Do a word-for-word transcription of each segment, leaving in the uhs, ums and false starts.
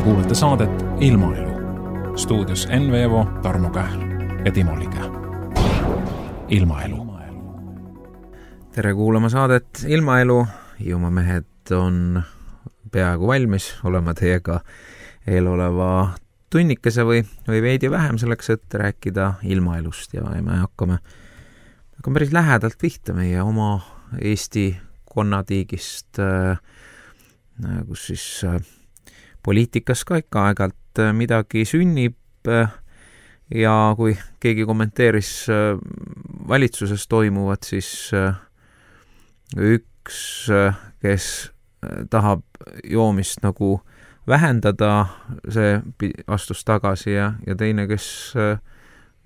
kuulate saadet Ilmaelu. Stuudios Enn Veevo, Tarmo Kähl ja Timo Lige. Ilmaelu. Tere kuulama saadet Ilmaelu. Hiiumaa mehed on peaaegu valmis olema teiega eeloleva tunnikese või, või veidi vähem selleks, et rääkida ilmaelust ja me hakkame, hakkame päris lähedalt pihta meie oma Eesti konnatiigist, kus siis poliitikas ka ikka aegalt midagi sünnib ja kui keegi kommenteeris valitsuses toimuvat, siis üks, kes tahab joomist nagu vähendada, see astus tagasi ja, ja teine, kes,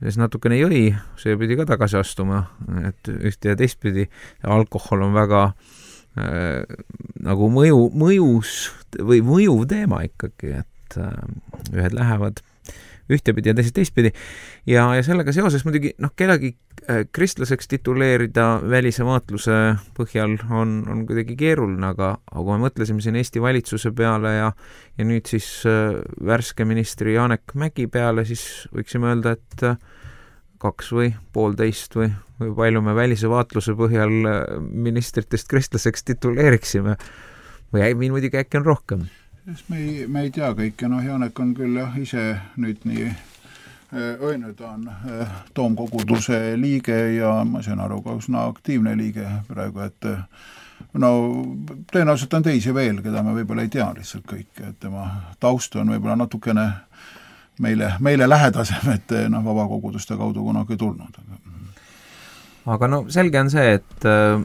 kes natukene jõi, see pidi ka tagasi astuma, et ühte ja teistpidi alkohol on väga äh, nagu mõju, mõjus või mõjuv teema ikkagi, et äh, ühed lähevad ühtepidi ja teised teistpidi ja, ja sellega seoses muidugi noh, kellegi äh, kristlaseks tituleerida välise vaatluse põhjal on, on kuidagi keeruline, aga, aga kui me mõtlesime siin Eesti valitsuse peale ja, ja nüüd siis äh, värske ministri Janek Mägi peale, siis võiksime öelda, et äh, kaks või poolteist või, või palju me välise vaatluse põhjal äh, ministritest kristlaseks tituleeriksime või äi, muidugi äkki on rohkem. Me ei, me ei tea kõike, noh Janek on küll jah, ise nüüd nii õine, ta on toomkoguduse liige ja ma saan aru ka üsna aktiivne liige praegu, et no tõenäoliselt on teisi veel, keda me võib-olla ei tea lihtsalt kõike, et tema taust on võib-olla natukene meile, meile lähedasem, et noh, vabakoguduste kaudu kunagi tulnud. Aga no selge on see, et äh,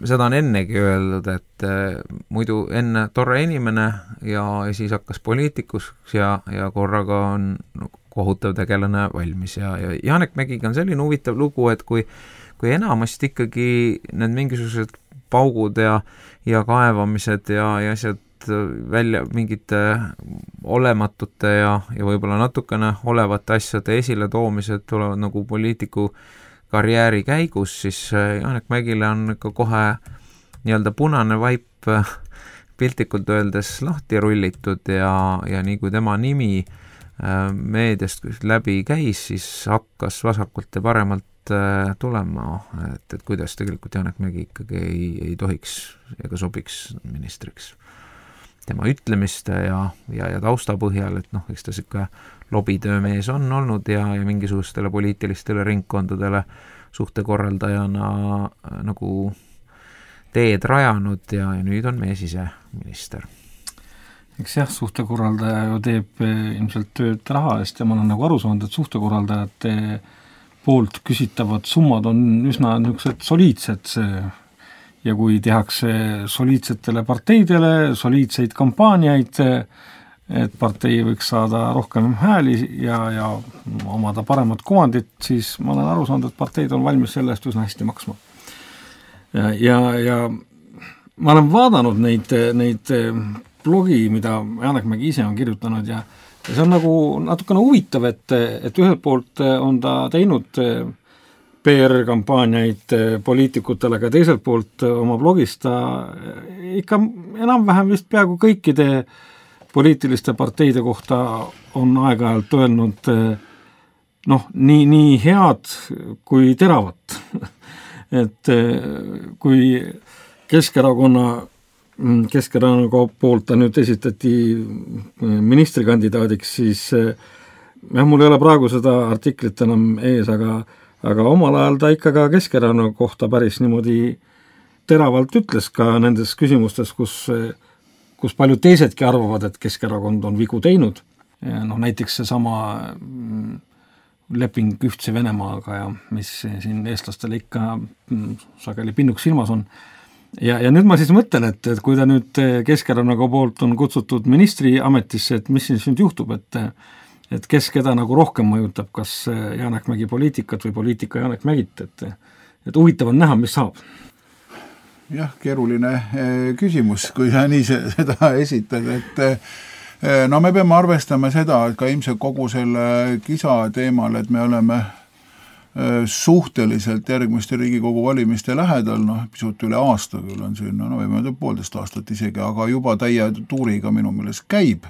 seda on ennegi öeldud, et äh, muidu enne torre inimene ja, ja siis hakkas poliitikus ja, ja korraga on no, kohutav tegelane valmis ja, ja Janek Mägiga on selline huvitav lugu, et kui, kui enamasti ikkagi need mingisugused paugud ja, ja kaevamised ja, ja asjad välja mingite olematute ja, ja võib-olla natukene olevate asjade esile toomised tulevad nagu poliitiku karjääri käigus, siis Janek Mägile on ikka kohe nii-öelda punane vaip piltlikult öeldes lahti rullitud ja, ja nii kui tema nimi meediast läbi käis, siis hakkas vasakult ja paremalt tulema, et, et kuidas tegelikult Janek Mägi ikkagi ei, ei tohiks ega sobiks ministriks. Tema ütlemiste ja, ja, ja tausta põhjal, et noh, eks ta siuke lobitöömees on olnud ja, ja mingisugustele poliitilistele ringkondadele suhtekorraldajana nagu teed rajanud ja, ja nüüd on mees ise minister. Eks jah, suhtekorraldaja ju teeb ilmselt tööd raha eest ja ma olen nagu aru saanud, et suhtekorraldajate poolt küsitavad summad on üsna niisugused soliidsed ja kui tehakse soliidsetele parteidele soliidseid kampaaniaid, et partei võiks saada rohkem hääli ja, ja omada paremat kuvandit, siis ma olen aru saanud, et parteid on valmis selle eest üsna hästi maksma. Ja, ja, ja ma olen vaadanud neid, neid blogi, mida Janek Mägi ise on kirjutanud ja, ja see on nagu natukene huvitav, et, et ühelt poolt on ta teinud P R-kampaaniaid poliitikutele, aga teiselt poolt oma blogis ta ikka enam-vähem vist peaaegu kõikide poliitiliste parteide kohta on aeg-ajalt öelnud noh, nii, nii head kui teravat. et kui Keskerakonna, Keskerakonna poolt ta nüüd esitati ministrikandidaadiks, siis jah, mul ei ole praegu seda artiklit enam ees, aga aga omal ajal ta ikka ka Keskerakonna kohta päris niimoodi teravalt ütles ka nendes küsimustes, kus, kus paljud teisedki arvavad, et Keskerakond on vigu teinud. Ja noh, näiteks see sama leping Ühtse Venemaaga ja mis siin eestlastele ikka sageli pinnuks silmas on. Ja, ja nüüd ma siis mõtlen, et, et kui ta nüüd Keskerakonna poolt on kutsutud ministri ametisse, et mis siis nüüd juhtub, et et kes keda nagu rohkem mõjutab, kas Janek Mägi poliitikat või poliitika Janek Mägit, et, et huvitav on näha, mis saab. Jah, keeruline küsimus, kui sa nii seda esitad, et no me peame arvestama seda, et ka ilmselt kogu selle kisa teemal, et me oleme suhteliselt järgmiste Riigikogu valimiste lähedal, noh, pisut üle aasta küll on siin, no võime öelda poolteist aastat isegi, aga juba täie tuuriga minu meelest käib,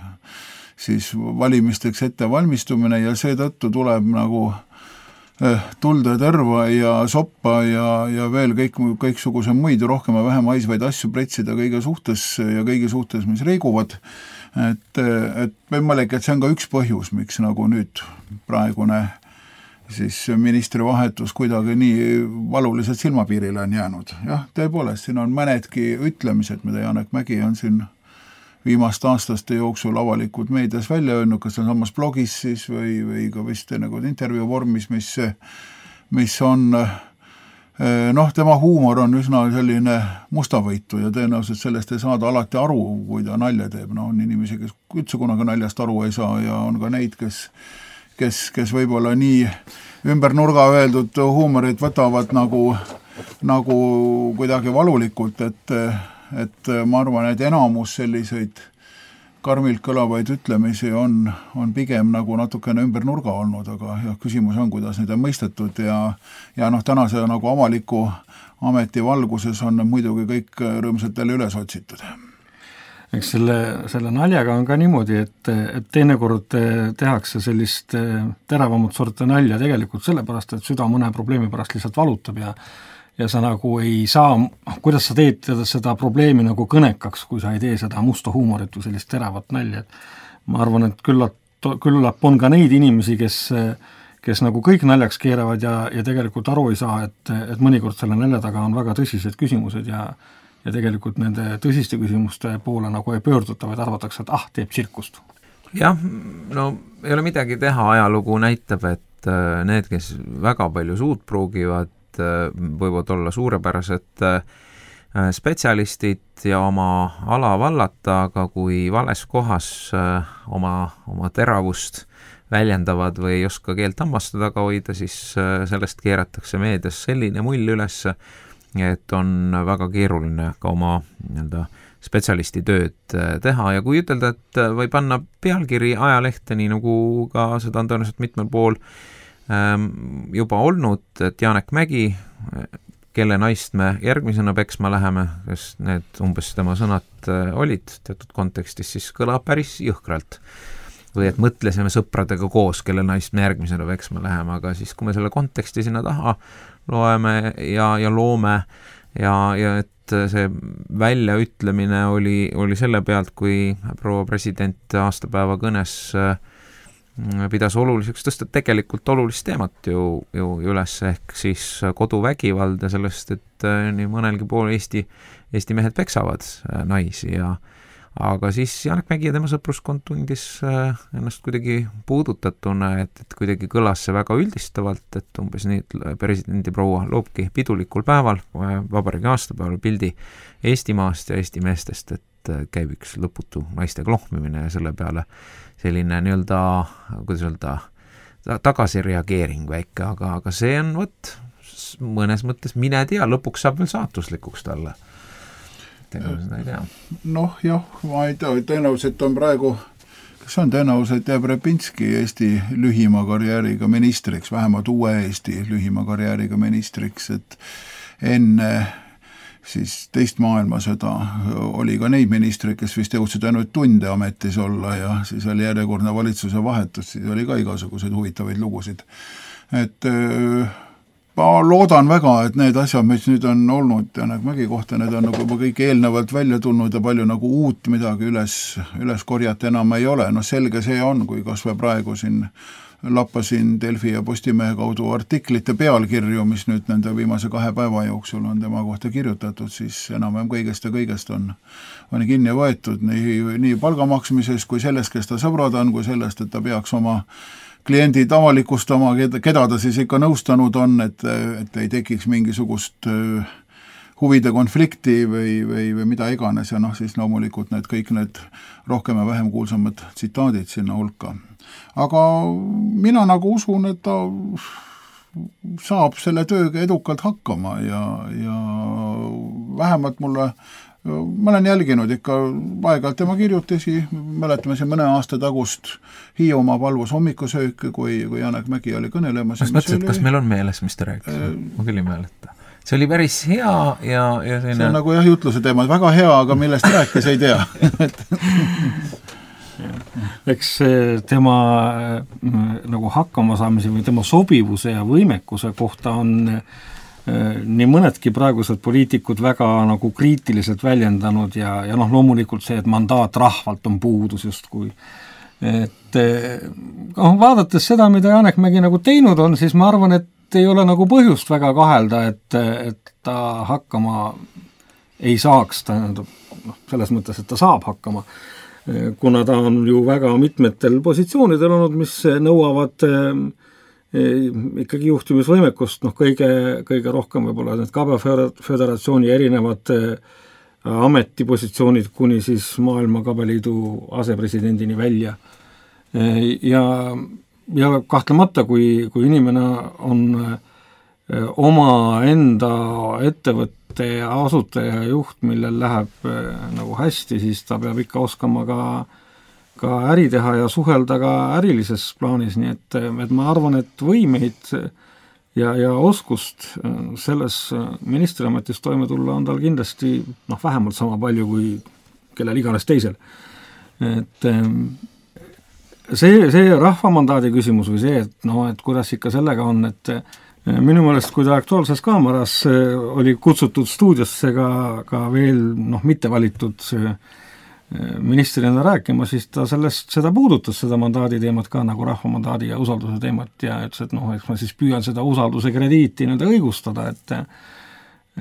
siis valimisteks ettevalmistumine ja seetõttu tuleb nagu tulda tõrva ja soppa ja, ja veel kõik, kõiksuguse muid rohkem ja vähem haisvaid asju pretsida kõige suhtes ja kõige suhtes, mis reiguvad. Et, et võimalik, et see on ka üks põhjus, miks nagu nüüd praegune siis ministri vahetus kuidagi nii valuliselt silmapiirile on jäänud. Jah, tõepoolest, siin on mõnedki ütlemised, mida Janek Mägi on siin viimast aastaste jooksul avalikult meedias välja öelnud, kas on samas blogis siis või, või ka vist nagu intervjuu vormis, mis, mis on, noh, tema huumor on üsna selline mustavõitu ja tõenäoliselt sellest ei saada alati aru, kui ta nalja teeb. No on inimesi, kes üldse kunagi naljast aru ei saa ja on ka neid, kes, kes, kes võib-olla nii ümber nurga öeldud huumorit võtavad nagu, nagu kuidagi valulikult, et et ma arvan, et enamus selliseid karmilt kõlavaid ütlemisi on, on pigem nagu natukene ümber nurga olnud, aga ja küsimus on, kuidas neid on mõistetud ja, ja noh, tänase nagu avaliku ameti valguses on muidugi kõik rõõmsalt jälle üles otsitud. Eks selle, selle naljaga on ka niimoodi, et, et teinekord tehakse sellist teravamat sorti nalja tegelikult sellepärast, et süda mõne probleemi pärast lihtsalt valutab ja ja sa nagu ei saa, kuidas sa teed seda probleemi nagu kõnekaks, kui sa ei tee seda musta huumorit või sellist teravat nalja. Ma arvan, et küllap, küllap on ka neid inimesi, kes, kes nagu kõik naljaks keeravad ja, ja tegelikult aru ei saa, et, et mõnikord selle nalja taga on väga tõsised küsimused ja, ja tegelikult nende tõsiste küsimuste poole nagu ei pöörduta, vaid arvatakse, et ah, teeb tsirkust. Jah, no ei ole midagi teha, ajalugu näitab, et need, kes väga palju suud pruugivad, võivad olla suurepärased spetsialistid ja oma ala vallata, aga kui vales kohas oma, oma teravust väljendavad või ei oska keelt hammaste taga hoida, siis sellest keeratakse meedias selline mull üles, et on väga keeruline ka oma nii-öelda spetsialisti tööd teha ja kui ütelda, et või panna pealkiri ajalehte, nii nagu ka seda on tõenäoliselt mitmel pool juba olnud, et Janek Mägi, kelle naist me järgmisena peksma läheme, kes need umbes tema sõnad olid teatud kontekstis, siis kõlab päris jõhkralt. Või et mõtlesime sõpradega koos, kelle naist me järgmisena peksma läheme, aga siis kui me selle konteksti sinna taha loeme ja, ja loome ja, ja et see väljaütlemine oli, oli selle pealt, kui proua president aastapäeva kõnes pidas oluliseks tõsta tegelikult olulist teemat ju, ju üles, ehk siis koduvägivald ja sellest, et nii mõnelgi pool Eesti, Eesti mehed peksavad naisi ja aga siis Janek Mägi ja tema sõpruskond tundis ennast kuidagi puudutatuna, et, et kuidagi kõlas see väga üldistavalt, et umbes nii, et presidendi proua loobki pidulikul päeval, vabariigi aastapäeval pildi Eestimaast ja Eesti meestest, et käib üks lõputu naiste klohmimine ja selle peale selline nii-öelda, kuidas öelda, tagasireageering väike, aga, aga see on võt, mõnes mõttes mine tea, lõpuks saab veel saatuslikuks talle. Tegelikult ei tea. Noh, jah, ma ei tea, tõenäoliselt on praegu, kas on tõenäoliselt jääb Repinski Eesti lühima karjääriga ministriks, vähemalt uue Eesti lühima karjääriga ministriks, et enne siis teist maailmasõda oli ka neid ministreid, kes vist jõudsid ainult tunde ametis olla ja siis oli järjekordne valitsuse vahetus, siis oli ka igasuguseid huvitavaid lugusid. Et ma loodan väga, et need asjad, mis nüüd on olnud Janek Mägi kohta, need on nagu juba kõik eelnevalt välja tulnud ja palju nagu uut midagi üles, üles korjata enam ei ole. No selge see on, kui kas või praegu siin lappasin Delfi ja Postimehe kaudu artiklite pealkirju, mis nüüd nende viimase kahe päeva jooksul on tema kohta kirjutatud, siis enam-vähem kõigest ja kõigest on, on kinni võetud nii, nii palgamaksmises kui sellest, kes ta sõbrad on, kui sellest, et ta peaks oma kliendid avalikustama, keda ta siis ikka nõustanud on, et, et ei tekiks mingisugust huvide konflikti või, või, või mida iganes ja noh, siis loomulikult need kõik need rohkem ja vähem kuulsamad tsitaadid sinna hulka. Aga mina nagu usun, et ta saab selle tööga edukalt hakkama ja, ja vähemalt mulle, ma olen jälginud ikka aeg-ajalt tema kirjutisi, mäletame siin mõne aasta tagust Hiiumaa palvus hommikusööki, kui, kui Janek Mägi oli kõnelemas. Kas mõtlesid, kas meil on meeles, mis ta rääkis? Äh, ma küll ei mäleta. See oli päris hea ja, ja selline... See on nagu jah, jutluse teema, väga hea, aga millest rääkis, ei tea. eks tema nagu hakkamasaamise või tema sobivuse ja võimekuse kohta on nii mõnedki praegused poliitikud väga nagu kriitiliselt väljendanud ja, ja noh, loomulikult see, et mandaat rahvalt on puudus justkui. Et noh, vaadates seda, mida Janek Mägi nagu teinud on, siis ma arvan, et ei ole nagu põhjust väga kahelda, et, et ta hakkama ei saaks, ta noh, selles mõttes, et ta saab hakkama, kuna ta on ju väga mitmetel positsioonidel olnud, mis nõuavad ikkagi juhtimisvõimekust, noh kõige, kõige rohkem võib-olla need Kabe Föderatsiooni erinevad ametipositsioonid kuni siis Maailma Kabeliidu asepresidendini välja. Ja, ja kahtlemata, kui, kui inimene on oma enda ettevõtte asutaja juht, millel läheb nagu hästi, siis ta peab ikka oskama ka ka äri teha ja suhelda ka ärilises plaanis, nii et, et ma arvan, et võimeid ja, ja oskust selles ministriametis toime tulla on tal kindlasti noh, vähemalt sama palju kui kellel iganes teisel. Et see, see rahvamandaadi küsimus või see, et noh, et kuidas ikka sellega on, et minu meelest, kui ta Aktuaalses Kaameras oli kutsutud stuudiosse ka, ka veel noh, mitte valitud ministrina rääkima, siis ta sellest, seda puudutas, seda mandaadi teemat ka nagu rahvamandaadi ja usalduse teemat ja ütles, et noh, eks ma siis püüan seda usalduse krediiti nii-öelda õigustada, et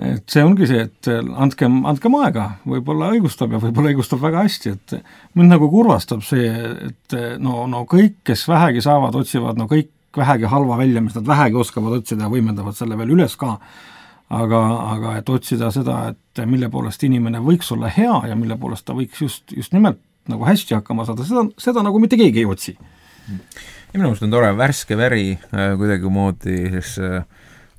et see ongi see, et andkem, andkem aega, võib-olla õigustab ja võib-olla õigustab väga hästi, et mind nagu kurvastab see, et no, no kõik, kes vähegi saavad, otsivad, no kõik vähegi halva välja, mis nad vähegi oskavad otsida ja võimendavad selle veel üles ka, aga, aga et otsida seda, et mille poolest inimene võiks olla hea ja mille poolest ta võiks just, just nimelt nagu hästi hakkama saada, seda, seda nagu mitte keegi ei otsi. Ja minu meelest on tore värske väri äh, kuidagi moodi, siis äh,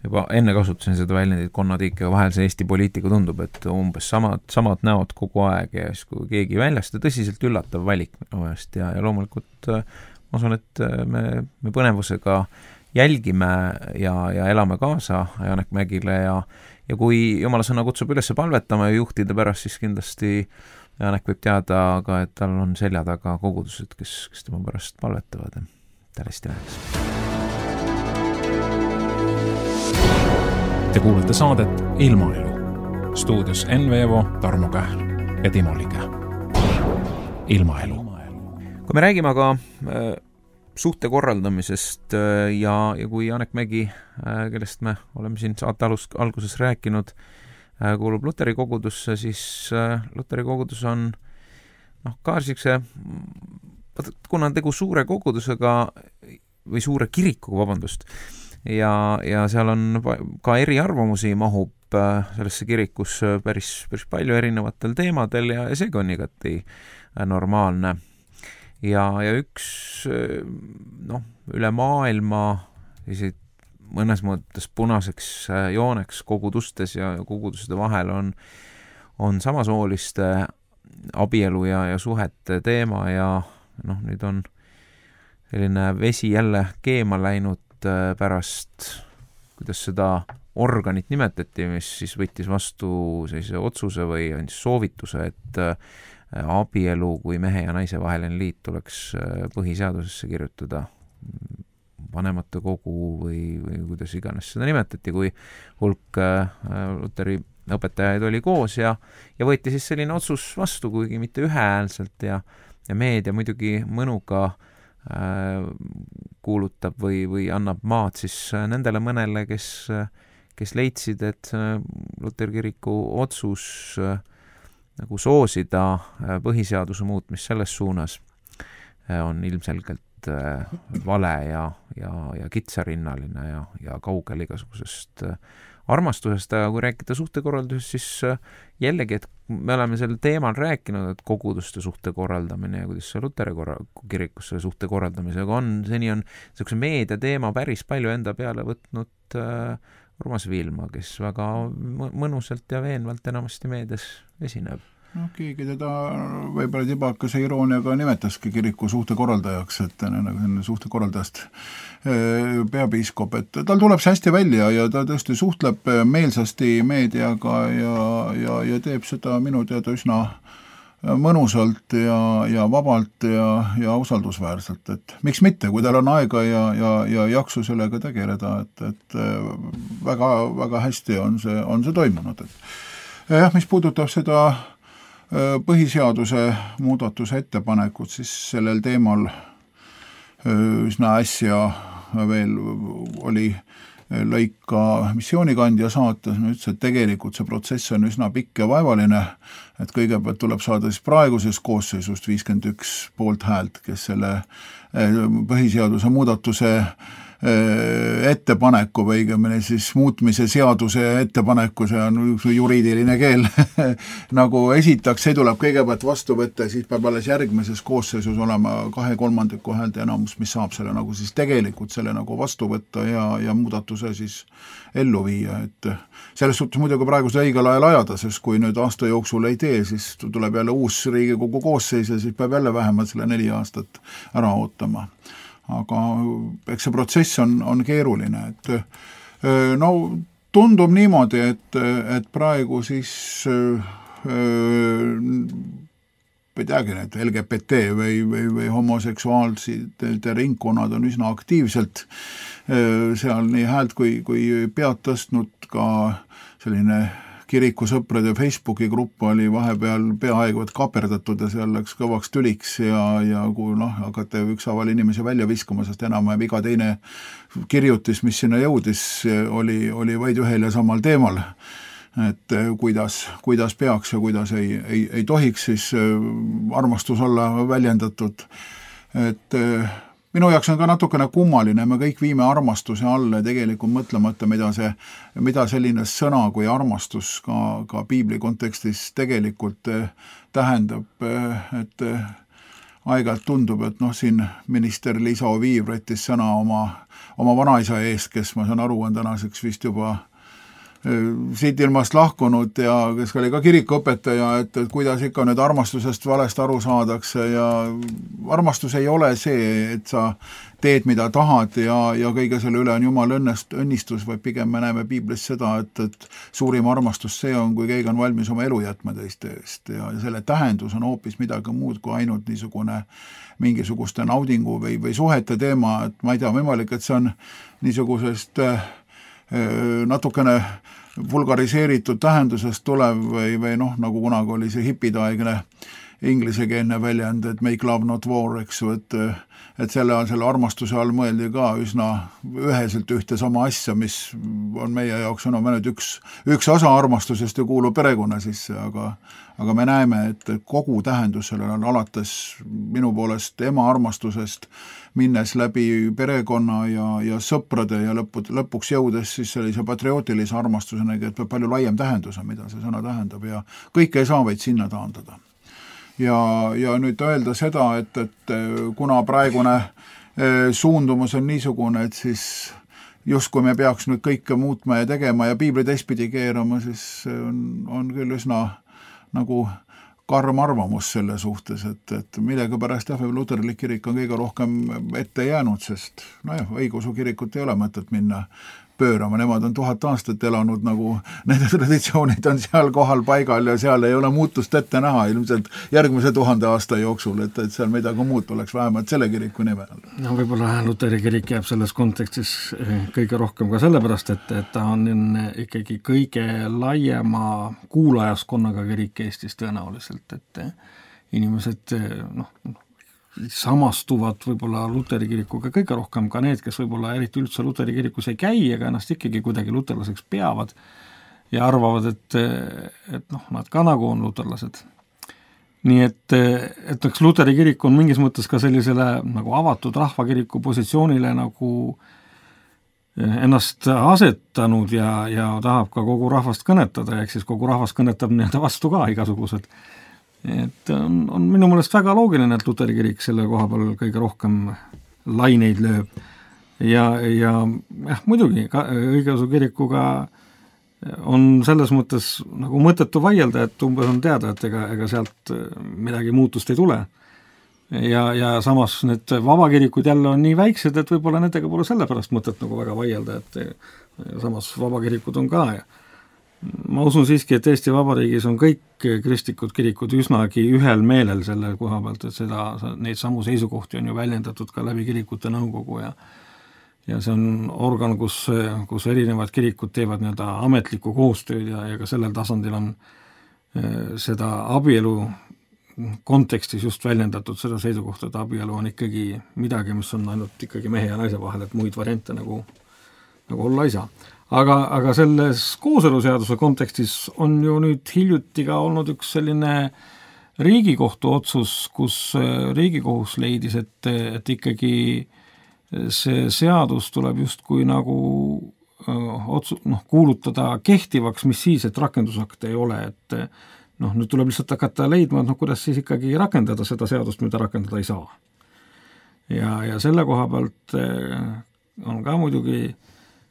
juba enne kasutasin seda väljendit konnatiike, vahel see Eesti poliitika tundub, et umbes samad, samad näod kogu aeg ja siis kui keegi väljast ja tõsiselt üllatav valik minu meelest ja, ja loomulikult äh, ma usun, et me, me põnevusega jälgime ja, ja elame kaasa Janek Mägile ja, ja kui jumala sõna kutsub üles palvetama ja juhtida pärast, siis kindlasti Janek võib teada ka, et tal on selja taga kogudused, kes, kes tema pärast palvetavad. Tervist läheks. Te kuulete saadet Ilmaelu. Stuudios Enn Veevo, Tarmo Kähl ja Timo Liga. Ilmaelu. Kui me räägime aga äh, suhte korraldamisest ja, ja kui Janek Mägi, kellest me oleme siin saate alus, alguses rääkinud, kuulub Luteri kogudusse, siis Luteri kogudus on noh, ka siukse, kuna on tegu suure kogudusega või suure kirikuga, vabandust, ja, ja seal on ka eriarvamusi mahub sellesse kirikusse päris, päris palju erinevatel teemadel ja, ja seega on igati normaalne. Ja, ja üks noh, üle maailma mõnes mõttes punaseks jooneks kogudustes ja koguduste vahel on, on samasooliste abielu ja, ja suhete teema ja noh, nüüd on selline vesi jälle keema läinud pärast, kuidas seda organit nimetati, mis siis võttis vastu sellise otsuse või andis soovituse, et abielu kui mehe ja naise vaheline liit tuleks põhiseadusesse kirjutada vanematekogu või, või kuidas iganes seda nimetati, kui hulk Luteri õpetajaid oli koos ja, ja võeti siis selline otsus vastu, kuigi mitte ühehäälselt ja, ja meedia muidugi mõnuga äh, kuulutab või, või annab maad siis nendele mõnele, kes, kes leidsid, et Luteri kiriku otsus äh, nagu soosida põhiseaduse muutmist selles suunas on ilmselgelt vale ja, ja, ja kitsarinnaline ja, ja kaugel igasugusest armastusest, aga kui rääkida suhtekorraldusest, siis jällegi, et me oleme sel teemal rääkinud, et koguduste suhte korraldamine ja kuidas see Luteri korra, kirikusse suhte korraldamisega on, seni on sellise meedia teema päris palju enda peale võtnud äh, Urmas Viilma, kes väga mõnusalt ja veenvalt enamasti meedias esineb. No, keegi teda võib-olla tibakese irooniaga nimetaski kiriku suhtekorraldajaks, et nagu suhtekorraldajast peapiiskop, et tal tuleb see hästi välja ja ta tõesti suhtleb meelsasti meediaga ja, ja, ja teeb seda minu teada üsna mõnusalt ja, ja vabalt ja, ja usaldusväärselt, et miks mitte, kui tal on aega ja, ja, ja jaksu sellega tegeleda, et, et väga, väga hästi on see, on see toimunud. Et jah, mis puudutab seda põhiseaduse muudatuse ettepanekut, siis sellel teemal üsna äsja veel oli lõik ka missioonikandja saates, ütles, et tegelikult see protsess on üsna pikk ja vaevaline, et kõigepealt tuleb saada siis praegusest koosseisust viiskümmend üks poolt häält, kes selle põhiseaduse muudatuse ettepaneku või õigemini siis muutmise seaduse ettepaneku, see on juriidiline keel, nagu esitaks, see tuleb kõigepealt vastu võtta, siis peab alles järgmises koosseisus olema kahe kolmandiku häälte enamus, mis saab selle nagu siis tegelikult selle nagu vastu võtta ja, ja muudatuse siis ellu viia, et selles suhtes muidugi praegu see õigel ajal ajada, sest kui nüüd aasta jooksul ei tee, siis tuleb jälle uus Riigikogu koosseis ja siis peab jälle vähemalt selle neli aastat ära ootama. Aga eks see protsess on, on keeruline, et no tundub niimoodi, et, et praegu siis ei teagi, et L G B T või, või, või homoseksuaalside ringkonnad on üsna aktiivselt seal nii häält kui, kui pead tõstnud, ka selline kirikusõprade Facebooki grupp oli vahepeal peaaegu et kaperdatud ja seal läks kõvaks tüliks ja, ja kui noh, hakati ükshaaval inimesi välja viskama, sest enam iga teine kirjutis, mis sinna jõudis, oli, oli vaid ühel ja samal teemal, et kuidas, kuidas peaks ja kuidas ei, ei, ei tohiks siis armastus olla väljendatud, et minu jaoks on ka natukene kummaline, me kõik viime armastuse alla ja tegelikult mõtlemata, mida, see, mida selline sõna kui armastus ka, ka piibli kontekstis tegelikult tähendab, et aeg-ajalt tundub, et noh, siin minister Liisa Oviir võttis sõna oma, oma vanaisa eest, kes ma saan aru, on tänaseks vist juba siit ilmast lahkunud ja kes oli ka kirikuõpetaja, et, et kuidas ikka nüüd armastusest valest aru saadakse ja armastus ei ole see, et sa teed, mida tahad ja, ja kõige selle üle on Jumal õnnest, õnnistus, või pigem me näeme piiblis seda, et, et suurim armastus see on, kui keegi on valmis oma elu jätma teiste eest ja selle tähendus on hoopis midagi muud kui ainult niisugune mingisuguste naudingu või, või suhete teema, et ma ei tea, võimalik, et see on niisugusest natukene vulgariseeritud tähendusest tulev või, või noh, nagu kunagi oli see hipidaegne inglisekeelne väljend, et make love not war, eks ju, et, et selle, selle armastuse all mõeldi ka üsna üheselt ühte sama asja, mis on meie jaoks on ainult üks, üks osa armastusest ja kuulub perekonna sisse, aga, aga me näeme, et kogu tähendus sellel on alates minu poolest ema armastusest, minnes läbi perekonna ja, ja sõprade ja lõpu, lõpuks jõudes siis sellise patriootilise armastusena, et palju laiem tähendus on, mida see sõna tähendab ja kõike ei saa vaid sinna taandada. Ja, ja nüüd öelda seda, et, et kuna praegune suundumus on niisugune, et siis justkui me peaks nüüd kõike muutma ja tegema ja piibli teistpidi keerama, siis on, on küll üsna nagu karm arvamus selle suhtes, et, et millega pärast jah, luterlik kirik on kõige rohkem ette jäänud, sest nojah, õigeusu kirikut ei ole mõtet minna pöörama, nemad on tuhat aastat elanud nagu, nende traditsioonid on seal kohal paigal ja seal ei ole muutust ette näha ilmselt järgmise tuhande aasta jooksul, et, et seal midagi muud oleks vähemalt selle kiriku nimel. No võib-olla Luteri kirik jääb selles kontekstis kõige rohkem ka sellepärast, et, et ta on ikkagi kõige laiema kuulajaskonnaga kirik Eestis tõenäoliselt, et inimesed noh, samastuvad võib-olla Luteri kirikuga kõige rohkem ka need, kes võib-olla eriti üldse Luteri kirikus ei käi, aga ennast ikkagi kuidagi luterlaseks peavad ja arvavad, et, et noh, nad ka nagu on luterlased. Nii et, et eks Luteri kirik on mingis mõttes ka sellisele nagu avatud rahvakiriku positsioonile nagu ennast asetanud ja, ja tahab ka kogu rahvast kõnetada, ehk siis kogu rahvast kõnetab nii-öelda vastu ka igasugused. Et on, on minu meelest väga loogiline, et Luteri kirik selle koha peal kõige rohkem laineid lööb ja, ja jah, muidugi ka õigeusu kirikuga on selles mõttes nagu mõttetu vaielda, et umbes on teada, et ega, ega sealt midagi muutust ei tule ja, ja samas need vabakirikud jälle on nii väiksed, et võib-olla nendega pole sellepärast mõtet nagu väga vaielda, et samas vabakirikud on ka ma usun siiski, et Eesti Vabariigis on kõik kristlikud kirikud üsnagi ühel meelel selle koha pealt, et seda, neid samu seisukohti on ju väljendatud ka läbi kirikute nõukogu ja ja see on organ, kus, kus erinevad kirikud teevad nii-öelda ametlikku koostööd ja, ja ka sellel tasandil on seda abielu kontekstis just väljendatud seda seisukohta, et abielu on ikkagi midagi, mis on ainult ikkagi mehe ja naise vahel, et muid variante nagu, nagu olla ei saa. Aga, aga selles kooseluseaduse kontekstis on ju nüüd hiljuti ka olnud üks selline Riigikohtu otsus, kus Riigikohus leidis, et, et ikkagi see seadus tuleb justkui nagu otsu, noh, kuulutada kehtivaks, mis siis, et rakendusakte ei ole, et noh, nüüd tuleb lihtsalt hakata leidma, et noh, kuidas siis ikkagi rakendada seda seadust, mida rakendada ei saa. Ja, ja selle koha pealt on ka muidugi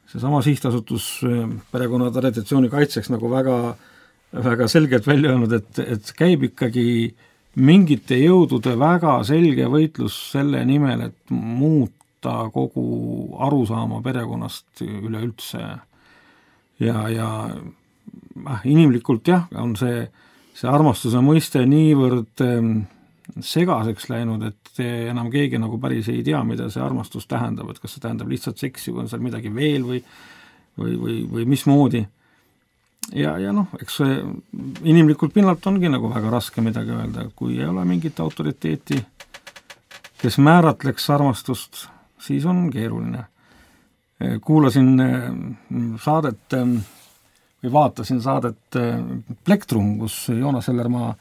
seesama sihtasutus perekonna traditsiooni kaitseks nagu väga, väga selgelt välja öelnud, et, et käib ikkagi mingite jõudude väga selge võitlus selle nimel, et muuta kogu arusaama perekonnast üleüldse. Ja, ja äh, inimlikult jah, on see, see armastuse mõiste niivõrd segaseks läinud, et enam keegi nagu päris ei tea, mida see armastus tähendab, et kas see tähendab lihtsalt seksi või on seal midagi veel või, või, või, või mismoodi. Ja, ja noh, eks see inimlikult pinnalt ongi nagu väga raske midagi öelda, kui ei ole mingit autoriteeti, kes määratleks armastust, siis on keeruline. Kuulasin saadet või vaatasin saadet Plektrum, kus Joonas Ellermaa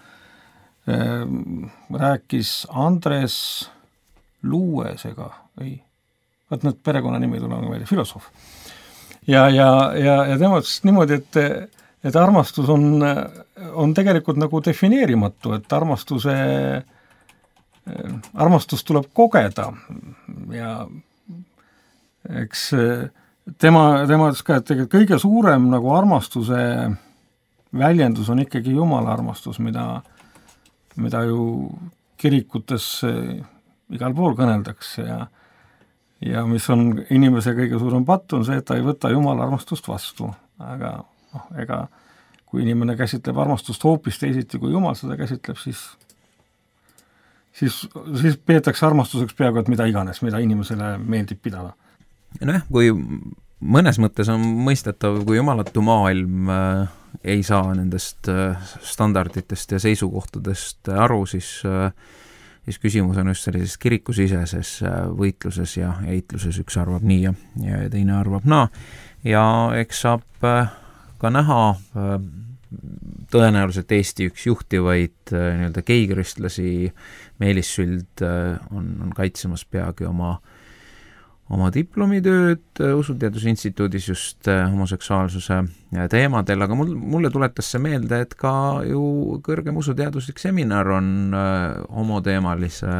rääkis Andres Luuesega, või vaat need perekonnanimi tulema välja, filosoof. Ja, ja, ja, ja tema ütles niimoodi, et, et armastus on, on tegelikult nagu defineerimatu, et armastuse, armastus tuleb kogeda ja eks tema, tema ütles ka, et tegelikult kõige suurem nagu armastuse väljendus on ikkagi Jumala armastus, mida mida ju kirikutes igal pool kõneldakse ja, ja mis on inimese kõige suurem patt, on see, et ta ei võta Jumala armastust vastu. Aga noh, ega kui inimene käsitleb armastust hoopis teisiti, kui Jumal seda käsitleb, siis, siis, siis peetakse armastuseks peaaegu, et mida iganes, mida inimesele meeldib pidada. Noh, kui mõnes mõttes on mõistetav, kui jumalatu maailm äh, ei saa nendest äh, standarditest ja seisukohtadest aru, siis, äh, siis küsimus on just sellises kirikusiseses äh, võitluses ja eitluses, üks arvab nii ja, ja teine arvab naa. Ja eks saab äh, ka näha äh, tõenäoliselt Eesti üks juhtivaid äh, nii-öelda geikristlasi, Meelis Süld äh, on, on kaitsemas peagi oma oma diplomitööd Usuteadusinstituudis just homoseksuaalsuse teemadel, aga mul, mulle tuletas see meelde, et ka ju kõrgem usuteaduslik seminar on homoteemalise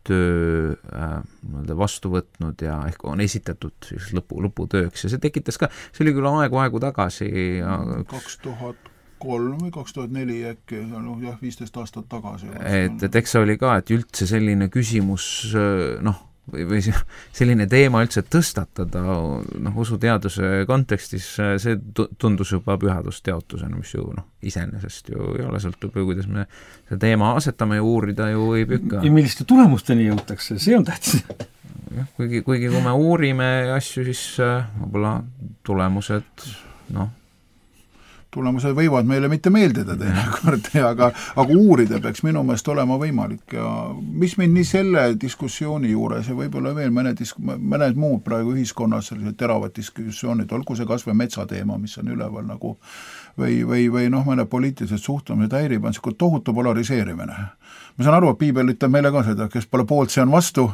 töö äh, vastu võtnud ja ehk on esitatud siis lõpu, lõputööks ja see tekitas ka, see oli küll aegu-aegu tagasi ja kaks tuhat kolm või kaks tuhat neli äkki, noh jah, viisteist aastat tagasi. Et, et eks see oli ka, et üldse selline küsimus, noh, või, või selline teema üldse tõstatada noh, usuteaduse kontekstis, see tundus juba pühadusteotusena, mis ju noh, iseenesest ju ei ole, sõltub ju, kuidas me see teema asetame ja uurida ju ei pükka. Ja milliste tulemusteni jõutakse, see on tähtis. Kuigi, kuigi kui me uurime asju, siis võib-olla tulemused, noh, tulemused võivad meile mitte meeldida teinekord, aga, aga uurida peaks minu meelest olema võimalik ja mis mind nii selle diskussiooni juures ja võib-olla veel mõned, mõned muud praegu ühiskonnas sellised teravad diskussioonid, olgu see kas või metsateema, mis on üleval nagu või, või, või noh, mõne poliitilised suhtumised häirib, on selline tohutu polariseerimine. Ma saan aru, et piibel ütleb meile ka seda, kes pole poolt, see on vastu,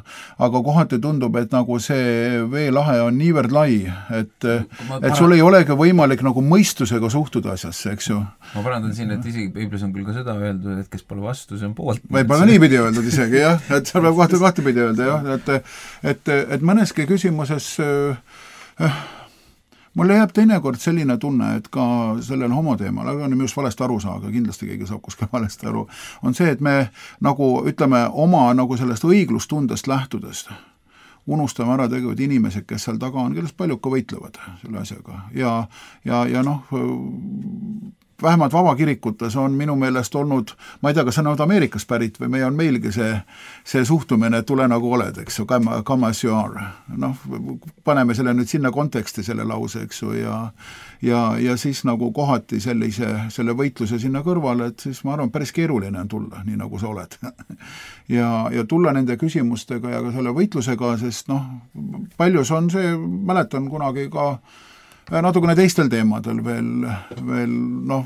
aga kohati tundub, et nagu see veelahe on niivõrd lai, et, et sul ei olegi võimalik nagu mõistusega suhtuda asjasse, eks ju. Ma parandan siin, et isegi piiblis on küll ka seda öeldud, et kes pole vastu, see on poolt. Võib-olla niipidi öeldud isegi, jah, et seal peab kahte kahte pidi öelda, jah, et, et, et mõneski küsimuses äh, mulle jääb teinekord selline tunne, et ka sellel homoteemal, aga on just valesti aru saa, aga kindlasti keegi saab kuskil valesti aru, on see, et me nagu ütleme oma nagu sellest õiglustundest lähtudest unustame ära tegelikult inimesed, kes seal taga on, kellest paljud ka võitlevad selle asjaga ja, ja, ja noh, vähemalt vabakirikutes on minu meelest olnud, ma ei tea, kas see on olnud Ameerikas pärit või meie on meilgi see, see suhtumine, et tule nagu oled, eks ju, come, come as you are. Noh, paneme selle nüüd sinna konteksti, selle lause, eks ju, ja, ja, ja siis nagu kohati sellise, selle võitluse sinna kõrvale, et siis ma arvan, päris keeruline on tulla, nii nagu sa oled. ja, ja tulla nende küsimustega ja ka selle võitlusega, sest noh, paljus on see, mäletan kunagi ka natukene teistel teemadel veel, veel noh,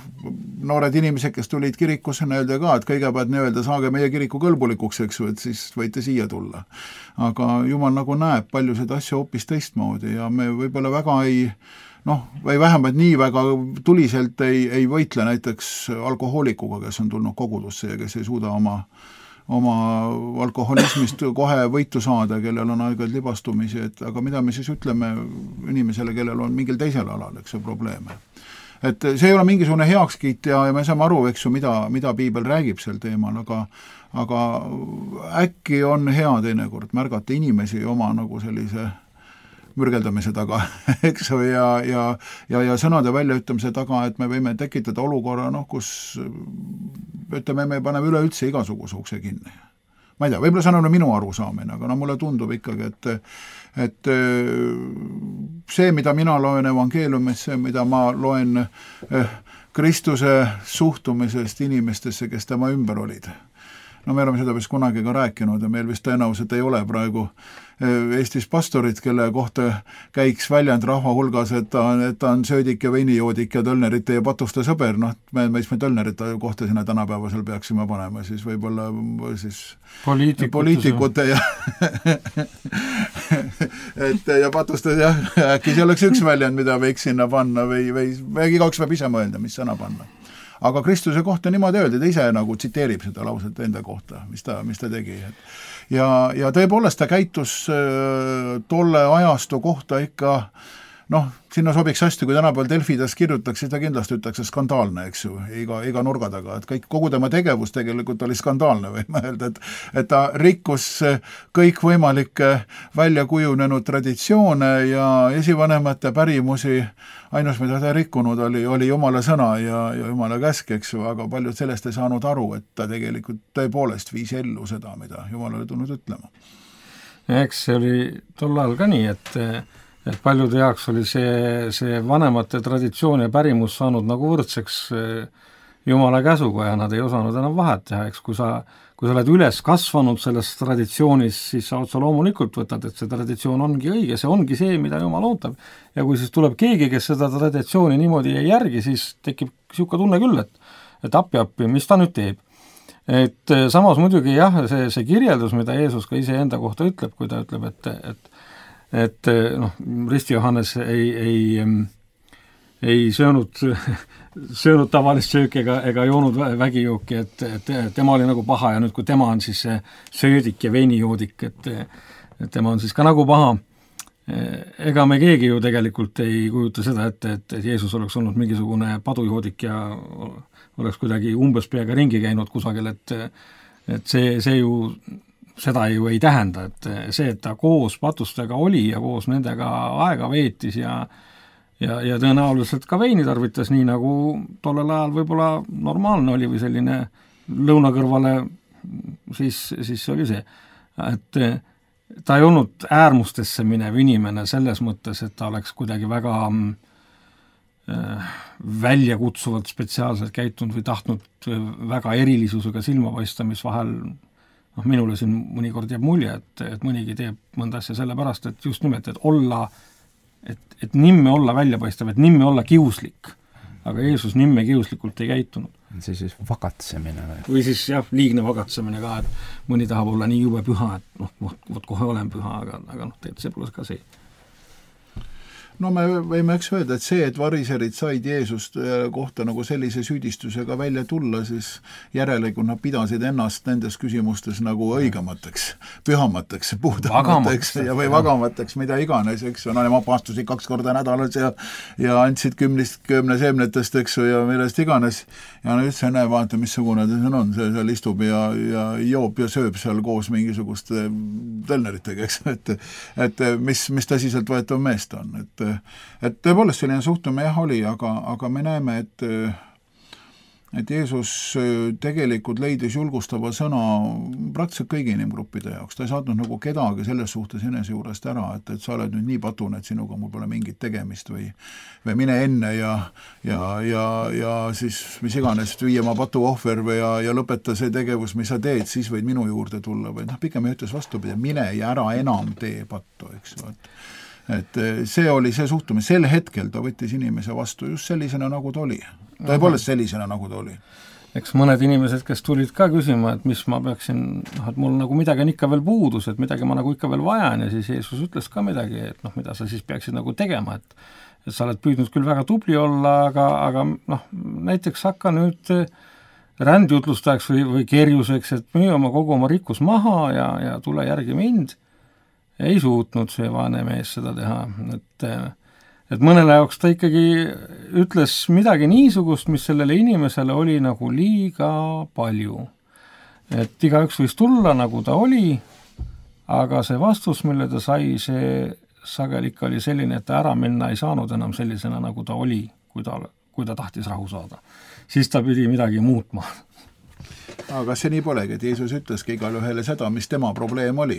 noored inimesed, kes tulid kirikusse, öelda ka, et kõigepealt nii-öelda saage meie kiriku kõlbulikuks, eks ju, et siis võite siia tulla. Aga Jumal nagu näeb paljusid asju hoopis teistmoodi ja me võib-olla väga ei noh, või vähemalt nii väga tuliselt ei, ei võitle näiteks alkohoolikuga, kes on tulnud kogudusse ja kes ei suuda oma oma alkoholismist kohe võitu saada, kellel on aeg-ajalt libastumisi, et aga mida me siis ütleme inimesele, kellel on mingil teisel alal, eks ju, probleeme. Et see ei ole mingisugune heakskiit ja, ja me saame aru, eks ju, mida, mida piibel räägib sel teemal, aga, aga äkki on hea teinekord märgata inimesi oma nagu sellise mürgeldamise taga, eks ju, ja, ja, ja, ja sõnade väljaütlemise taga, et me võime tekitada olukorra, noh, kus ütleme, me paneme üleüldse igasuguse ukse kinni. Ma ei tea, võib-olla see on minu arusaamine, aga no mulle tundub ikkagi, et, et see, mida mina loen evangeeliumist, see, mida ma loen Kristuse suhtumisest inimestesse, kes tema ümber olid. No me oleme seda vist kunagi ka rääkinud ja meil vist tõenäoliselt ei ole praegu Eestis pastorit, kelle kohta käiks väljend rahva hulgas, et ta on, et ta on söödik ja veinijoodik ja tölnerite ja patuste sõber, noh, me, me, me tölnerite kohta sinna tänapäevasel peaksime panema, siis võib-olla siis poliitikute, poliitikute ja et ja patuste jah, äkki see oleks üks väljend, mida võiks sinna panna või, või, või igaüks peab ise mõelda, mis sõna panna. Aga Kristuse kohta niimoodi öeldi, ta ise nagu tsiteerib seda lauset enda kohta, mis ta, mis ta tegi. Ja, ja tõepoolest ta käitus tolle ajastu kohta ikka, noh, sinna sobiks hästi, kui tänapäeval Delfides kirjutaks, siis ta kindlasti ütleks skandaalne, eks ju, iga, iga nurga taga, et kõik, kogu tema tegevus tegelikult oli skandaalne, võime öelda, et, et ta rikkus kõikvõimalikke välja kujunenud traditsioone ja esivanemate pärimusi, ainus, mida ta rikkunud oli, oli Jumala sõna ja, ja Jumala käsk, eks ju, aga paljud sellest ei saanud aru, et ta tegelikult tõepoolest viis ellu seda, mida Jumal oli tulnud ütlema. Eks see oli tol ajal ka nii, et et paljude jaoks oli see, see vanemate traditsioon ja pärimus saanud nagu võrdseks Jumala käsuga ja nad ei osanud enam vahet teha, eks kui sa, kui sa oled üles kasvanud selles traditsioonis, siis sa otsa loomulikult võtad, et see traditsioon ongi õige, see ongi see, mida Jumal ootab. Ja kui siis tuleb keegi, kes seda traditsiooni niimoodi ei järgi, siis tekib siuke tunne küll, et, et appi-appi, mis ta nüüd teeb. Et samas muidugi jah, see, see kirjeldus, mida Jeesus ka ise enda kohta ütleb, kui ta ütleb, et, et et noh, Risti Johannes ei, ei, ei söönud, söönud tavalist sööki ega, ega joonud vägijooki, et, et tema oli nagu paha ja nüüd, kui tema on siis söödik ja veinijoodik, et, et tema on siis ka nagu paha. Ega me keegi ju tegelikult ei kujuta seda ette, et, et Jeesus oleks olnud mingisugune padujoodik ja oleks kuidagi umbes peaga ringi käinud kusagil, et, et see, see ju seda ju ei tähenda, et see, et ta koos patustega oli ja koos nendega aega veetis ja ja, ja tõenäoliselt ka veini tarvitas, nii nagu tollel ajal võib-olla normaalne oli või selline lõunakõrvale, siis, siis oli see. Et ta ei olnud äärmustesse minev inimene selles mõttes, et ta oleks kuidagi väga äh, väljakutsuvalt spetsiaalselt käitunud või tahtnud väga erilisusega silma paista, mis vahel noh, minule siin mõnikord jääb mulje, et, et mõnigi teeb mõnda asja sellepärast, et just nimelt, et olla, et, et nimme olla väljapaistev, et nimme olla kiuslik. Aga Jeesus nimme kiuslikult ei käitunud. See siis vagatsemine või? Või siis jah, liigne vagatsemine ka, et mõni tahab olla nii jube püha, et noh, vot kohe olen püha, aga, aga noh, tegelikult see pole ka see. no me võime eks öelda, et see, et variserid said Jeesust kohta nagu sellise süüdistusega välja tulla, siis järelikult nad pidasid ennast nendes küsimustes nagu õigemateks, pühamateks, puhtamateks ja või vagamateks, mida iganes, eks ju, no nemad paastusid kaks korda nädalas ja ja andsid kümnist kümne seemnetest, eks ju, ja millest iganes, ja no üldse näe, vaata, missugune ta siin on, see seal istub ja, ja joob ja sööb seal koos mingisuguste tõlneritega, eks, et et mis, mis tõsiselt võetav meest on, et et tõepoolest selline suhtumine jah oli, aga, aga me näeme, et et Jeesus tegelikult leidis julgustava sõna praktiliselt kõigi inimgruppide jaoks, ta ei saatnud nagu kedagi selles suhtes enese juurest ära, et, et sa oled nüüd nii patune, et sinuga mul pole mingit tegemist või või mine enne ja ja, ja, ja siis mis iganes, viie oma patu ohver või ja, ja lõpeta see tegevus, mis sa teed, siis võid minu juurde tulla või noh, pigem ütles vastupidi, mine ja ära enam tee pattu, eks ju, et et see oli see suhtumine, sel hetkel ta võttis inimese vastu just sellisena, nagu ta oli. Tõepoolest sellisena, nagu ta oli. Eks mõned inimesed, kes tulid ka küsima, et mis ma peaksin, noh, et mul nagu midagi on ikka veel puudus, et midagi ma nagu ikka veel vajan ja siis Jeesus ütles ka midagi, et noh, mida sa siis peaksid nagu tegema, et et sa oled püüdnud küll väga tubli olla, aga, aga noh, näiteks hakka nüüd rändjutlustajaks või, või kerjuseks, et müü oma kogu oma rikkus maha ja, ja tule järgi mind. Ei suutnud see vaene mees seda teha, et, et mõnele jaoks ta ikkagi ütles midagi niisugust, mis sellele inimesele oli nagu liiga palju. Et igaüks võis tulla, nagu ta oli, aga see vastus, mille ta sai, see sageli ikka oli selline, et ta ära minna ei saanud enam sellisena, nagu ta oli, kui ta, kui ta tahtis rahu saada. Siis ta pidi midagi muutma. aga kas see nii polegi, et Jeesus ütleski igale ühele seda, mis tema probleem oli.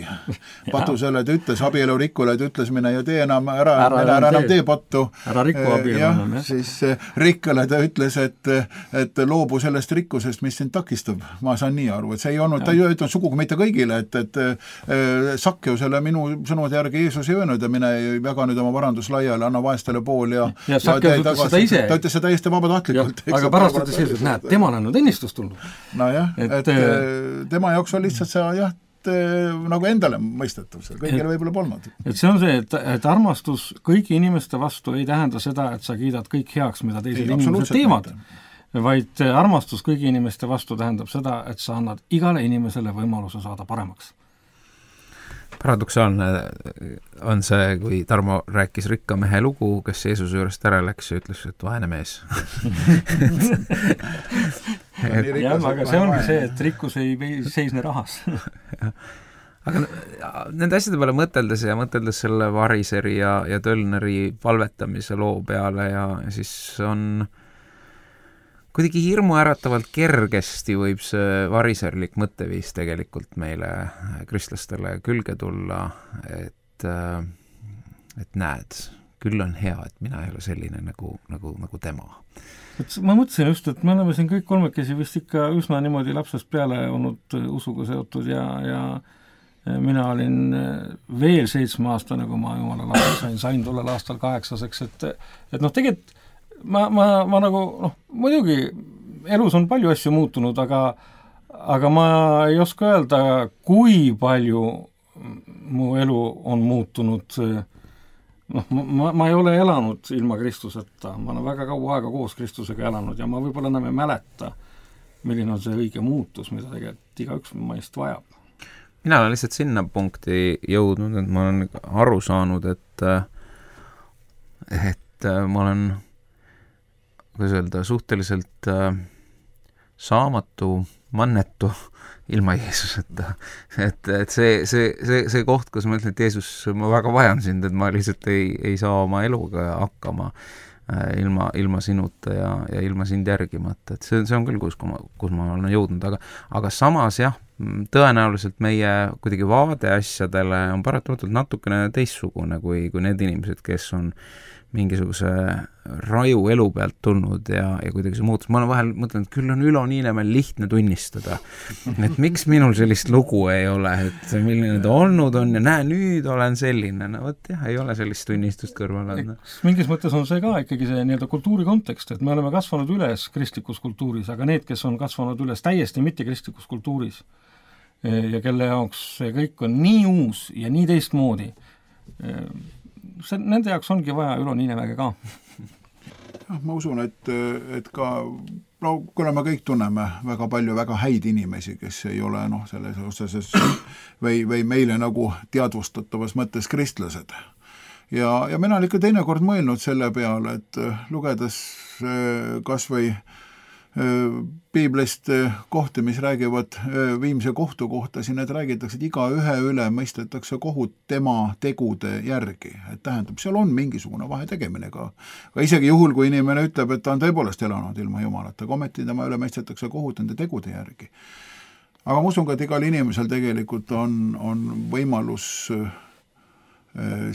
Patusele ta ütles, abielurikkule ta ütles, mine ja tee enam, ära, ära, ära, ära enam tee pattu. Ära rikku abielu enam, jah. Siis rikkale ta ütles, et, et loobu sellest rikkusest, mis sind takistab. Ma saan nii aru, et see ei olnud, ta ei öelnud sugugi mitte kõigile, et, et Sakkeusele minu sõnumade järgi Jeesus ei öelnud ja mine jaga nüüd oma varandus laiali, anna vaestele pool ja ja Sakkeus ütles seda ise. Ta ütles seda täiesti vabatahtlikult. Aga pärast ütles Jeesus, et näed, temal on nüüd õnnistus tulnud. No jah, et, et tema jaoks on lihtsalt see jah, nagu endale mõistetav, see kõigile võib-olla polnud. Et see on see, et, et armastus kõigi inimeste vastu ei tähenda seda, et sa kiidad kõik heaks, mida teised inimesed teevad, vaid armastus kõigi inimeste vastu tähendab seda, et sa annad igale inimesele võimaluse saada paremaks. Paradoksaalne on see, kui Tarmo rääkis rikka mehe lugu, kes Jeesuse juurest ära läks ja ütles, et vaene mees. et, jah, aga see ongi see, et rikkus ei seisne rahas. aga nende asjade peale mõteldes ja mõteldes selle variseri ja, ja tölneri palvetamise loo peale ja, ja siis on kuidagi hirmuäratavalt kergesti võib see variserlik mõtteviis tegelikult meile kristlastele külge tulla, et, et näed, küll on hea, et mina ei ole selline nagu, nagu, nagu tema. Et ma mõtlesin just, et me oleme siin kõik kolmekesi vist ikka üsna niimoodi lapsest peale olnud usuga seotud ja, ja mina olin veel seitsme aastane, kui ma jumala lapsed sain, sain tollel aastal kaheksaseks, et, et noh, tegelikult Ma, ma, ma nagu, noh, muidugi elus on palju asju muutunud, aga, aga ma ei oska öelda, kui palju mu elu on muutunud. Noh, ma, ma ei ole elanud ilma Kristuseta, ma olen väga kaua aega koos Kristusega elanud ja ma võib-olla enam ei mäleta, milline on see õige muutus, mida tegelikult igaüks meist vajab. Mina olen lihtsalt sinna punkti jõudnud, et ma olen aru saanud, et, et ma olen kuidas öelda, suhteliselt äh, saamatu, mannetu ilma Jeesuseta. Et, et see, see, see, see koht, kus ma ütlen, et Jeesus, ma väga vajan sind, et ma lihtsalt ei, ei saa oma eluga hakkama äh, ilma, ilma sinuta ja, ja ilma sind järgimata. Et see, see on küll, kus, kus ma olen jõudnud, aga, aga samas jah, tõenäoliselt meie kuidagi vaade asjadele on paratamatult natukene teistsugune kui, kui need inimesed, kes on mingisuguse raju elu pealt tulnud ja, ja kuidagi see muutus. Ma olen vahel mõtlenud, et küll on Ülo Niinemäel lihtne tunnistada, et miks minul sellist lugu ei ole, et milline ta olnud on ja näe, nüüd olen selline. No võt jah, ei ole sellist tunnistust kõrval. Mingis mõttes on see ka ikkagi see nii-öelda kultuuri kontekst, et me oleme kasvanud üles kristlikus kultuuris, aga need, kes on kasvanud üles täiesti mitte kristlikus kultuuris ja kelle jaoks see kõik on nii uus ja nii teistmoodi, see, nende jaoks ongi vaja Ülo Niinemäge ka. Ja, ma usun, et, et ka no kuna me kõik tunneme väga palju väga häid inimesi, kes ei ole noh, selles osas või, või meile nagu teadvustatavas mõttes kristlased. Ja, ja mina olen ikka teinekord mõelnud selle peale, et lugedes kas või piiblist kohti, mis räägivad viimse kohtu kohta, siin need räägitakse, et iga ühe üle mõistetakse kohut tema tegude järgi. Et tähendab, seal on mingisugune vahe tegemine ka. Aga isegi juhul, kui inimene ütleb, et ta on tõepoolest elanud ilma Jumalata, ometi tema üle mõistetakse kohut nende tegude järgi. Aga ma usun ka, et igal inimesel tegelikult on, on võimalus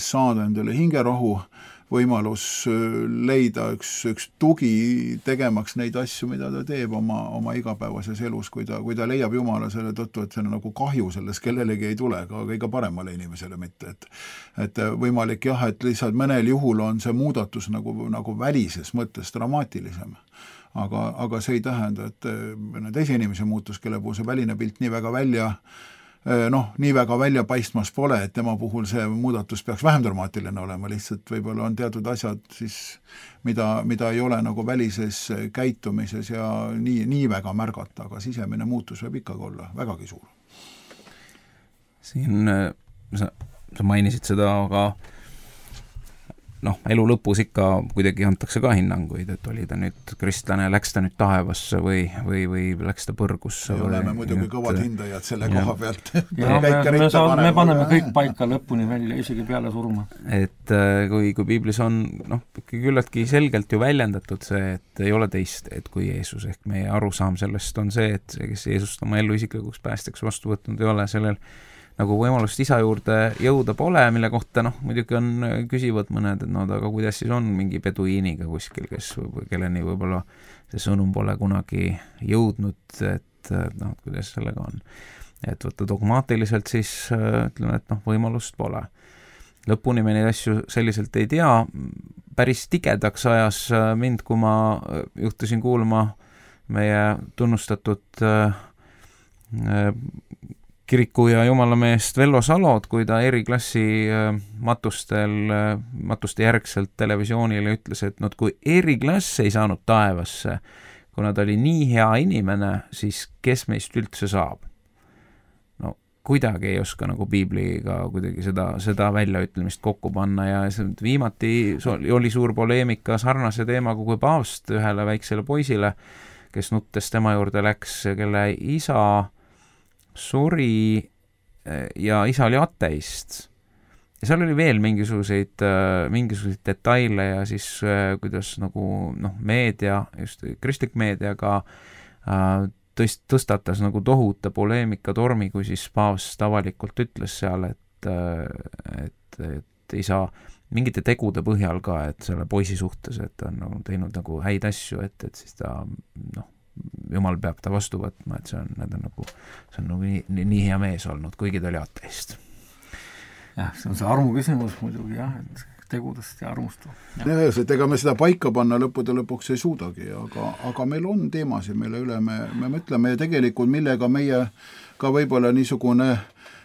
saada endale hingerahu, võimalus leida üks, üks tugi tegemaks neid asju, mida ta teeb oma, oma igapäevases elus, kui ta, kui ta leiab Jumala selle tõttu, et see on nagu kahju selles kellelegi ei tule, aga kõige paremale inimesele mitte. Et, et võimalik jah, et lihtsalt mõnel juhul on see muudatus nagu, nagu välises mõttes dramaatilisem. Aga, aga see ei tähenda, et teise inimese muutus, kelle puhul see väline pilt nii väga välja noh, nii väga välja paistmas pole, et tema puhul see muudatus peaks vähem dramaatiline olema, lihtsalt võib-olla on teatud asjad siis, mida, mida ei ole nagu välises käitumises ja nii, nii väga märgata, aga sisemine muutus võib ikkagi olla vägagi suur. Siin sa, sa mainisid seda, aga noh, elu lõpus ikka kuidagi antakse ka hinnanguid, et oli ta nüüd kristlane, läks ta nüüd taevasse või, või, või läks ta põrgusse. Me oleme muidugi kõvad hindajad selle ja, koha pealt. Ja, me, me, saad, me paneme kõik paika lõpuni välja, isegi peale surma. Et kui, kui piiblis on noh, küllaltki selgelt ju väljendatud see, et ei ole teist, et kui Jeesus, ehk meie arusaam sellest on see, et see, kes Jeesust oma elu isiklikuks päästjaks vastu võtnud ei ole, sellel nagu võimalust isa juurde jõuda pole, mille kohta noh, muidugi on küsivad mõned, et no aga kuidas siis on mingi peduiiniga kuskil, kes võib, kelleni võib-olla see sõnum pole kunagi jõudnud, et noh, kuidas sellega on. Et võtta dogmaatiliselt siis ütleme, et noh, võimalust pole. Lõpuni me neid asju selliselt ei tea, päris tigedaks ajas mind, kui ma juhtusin kuulma meie tunnustatud äh, kiriku ja jumalameest Vello Salod, kui ta eriklassi matustel, matuste järgselt televisioonile ütles, et no, kui eriklass ei saanud taevasse, kuna ta oli nii hea inimene, siis kes meist üldse saab? No kuidagi ei oska nagu piibliga kuidagi seda, seda väljaütlemist kokku panna ja viimati oli suur poleemika sarnase teemaga kui paavst ühele väiksele poisile, kes nuttes tema juurde läks, kelle isa suri ja isa oli ateist. Ja seal oli veel mingisuguseid, mingisuguseid detaile ja siis kuidas nagu noh, meedia, just kristlik meedia ka tõst, tõstatas nagu tohuta poleemika tormi, kui siis paavst avalikult ütles seal, et, et, et ei saa mingite tegude põhjal ka, et selle poisi suhtes, et ta on nagu teinud nagu häid asju, et, et siis ta noh, Jumal peab ta vastu võtma, et see on, need on nagu, see on nagu nii, nii, nii hea mees olnud, kuigi ta oli ateist. Jah, see on see armu küsimus muidugi jah, et tegudest ja armust. Ja, et ega me seda paika panna lõppude lõpuks ei suudagi, aga, aga meil on teemasid, mille üle me, me mõtleme ja tegelikult millega meie ka võib-olla niisugune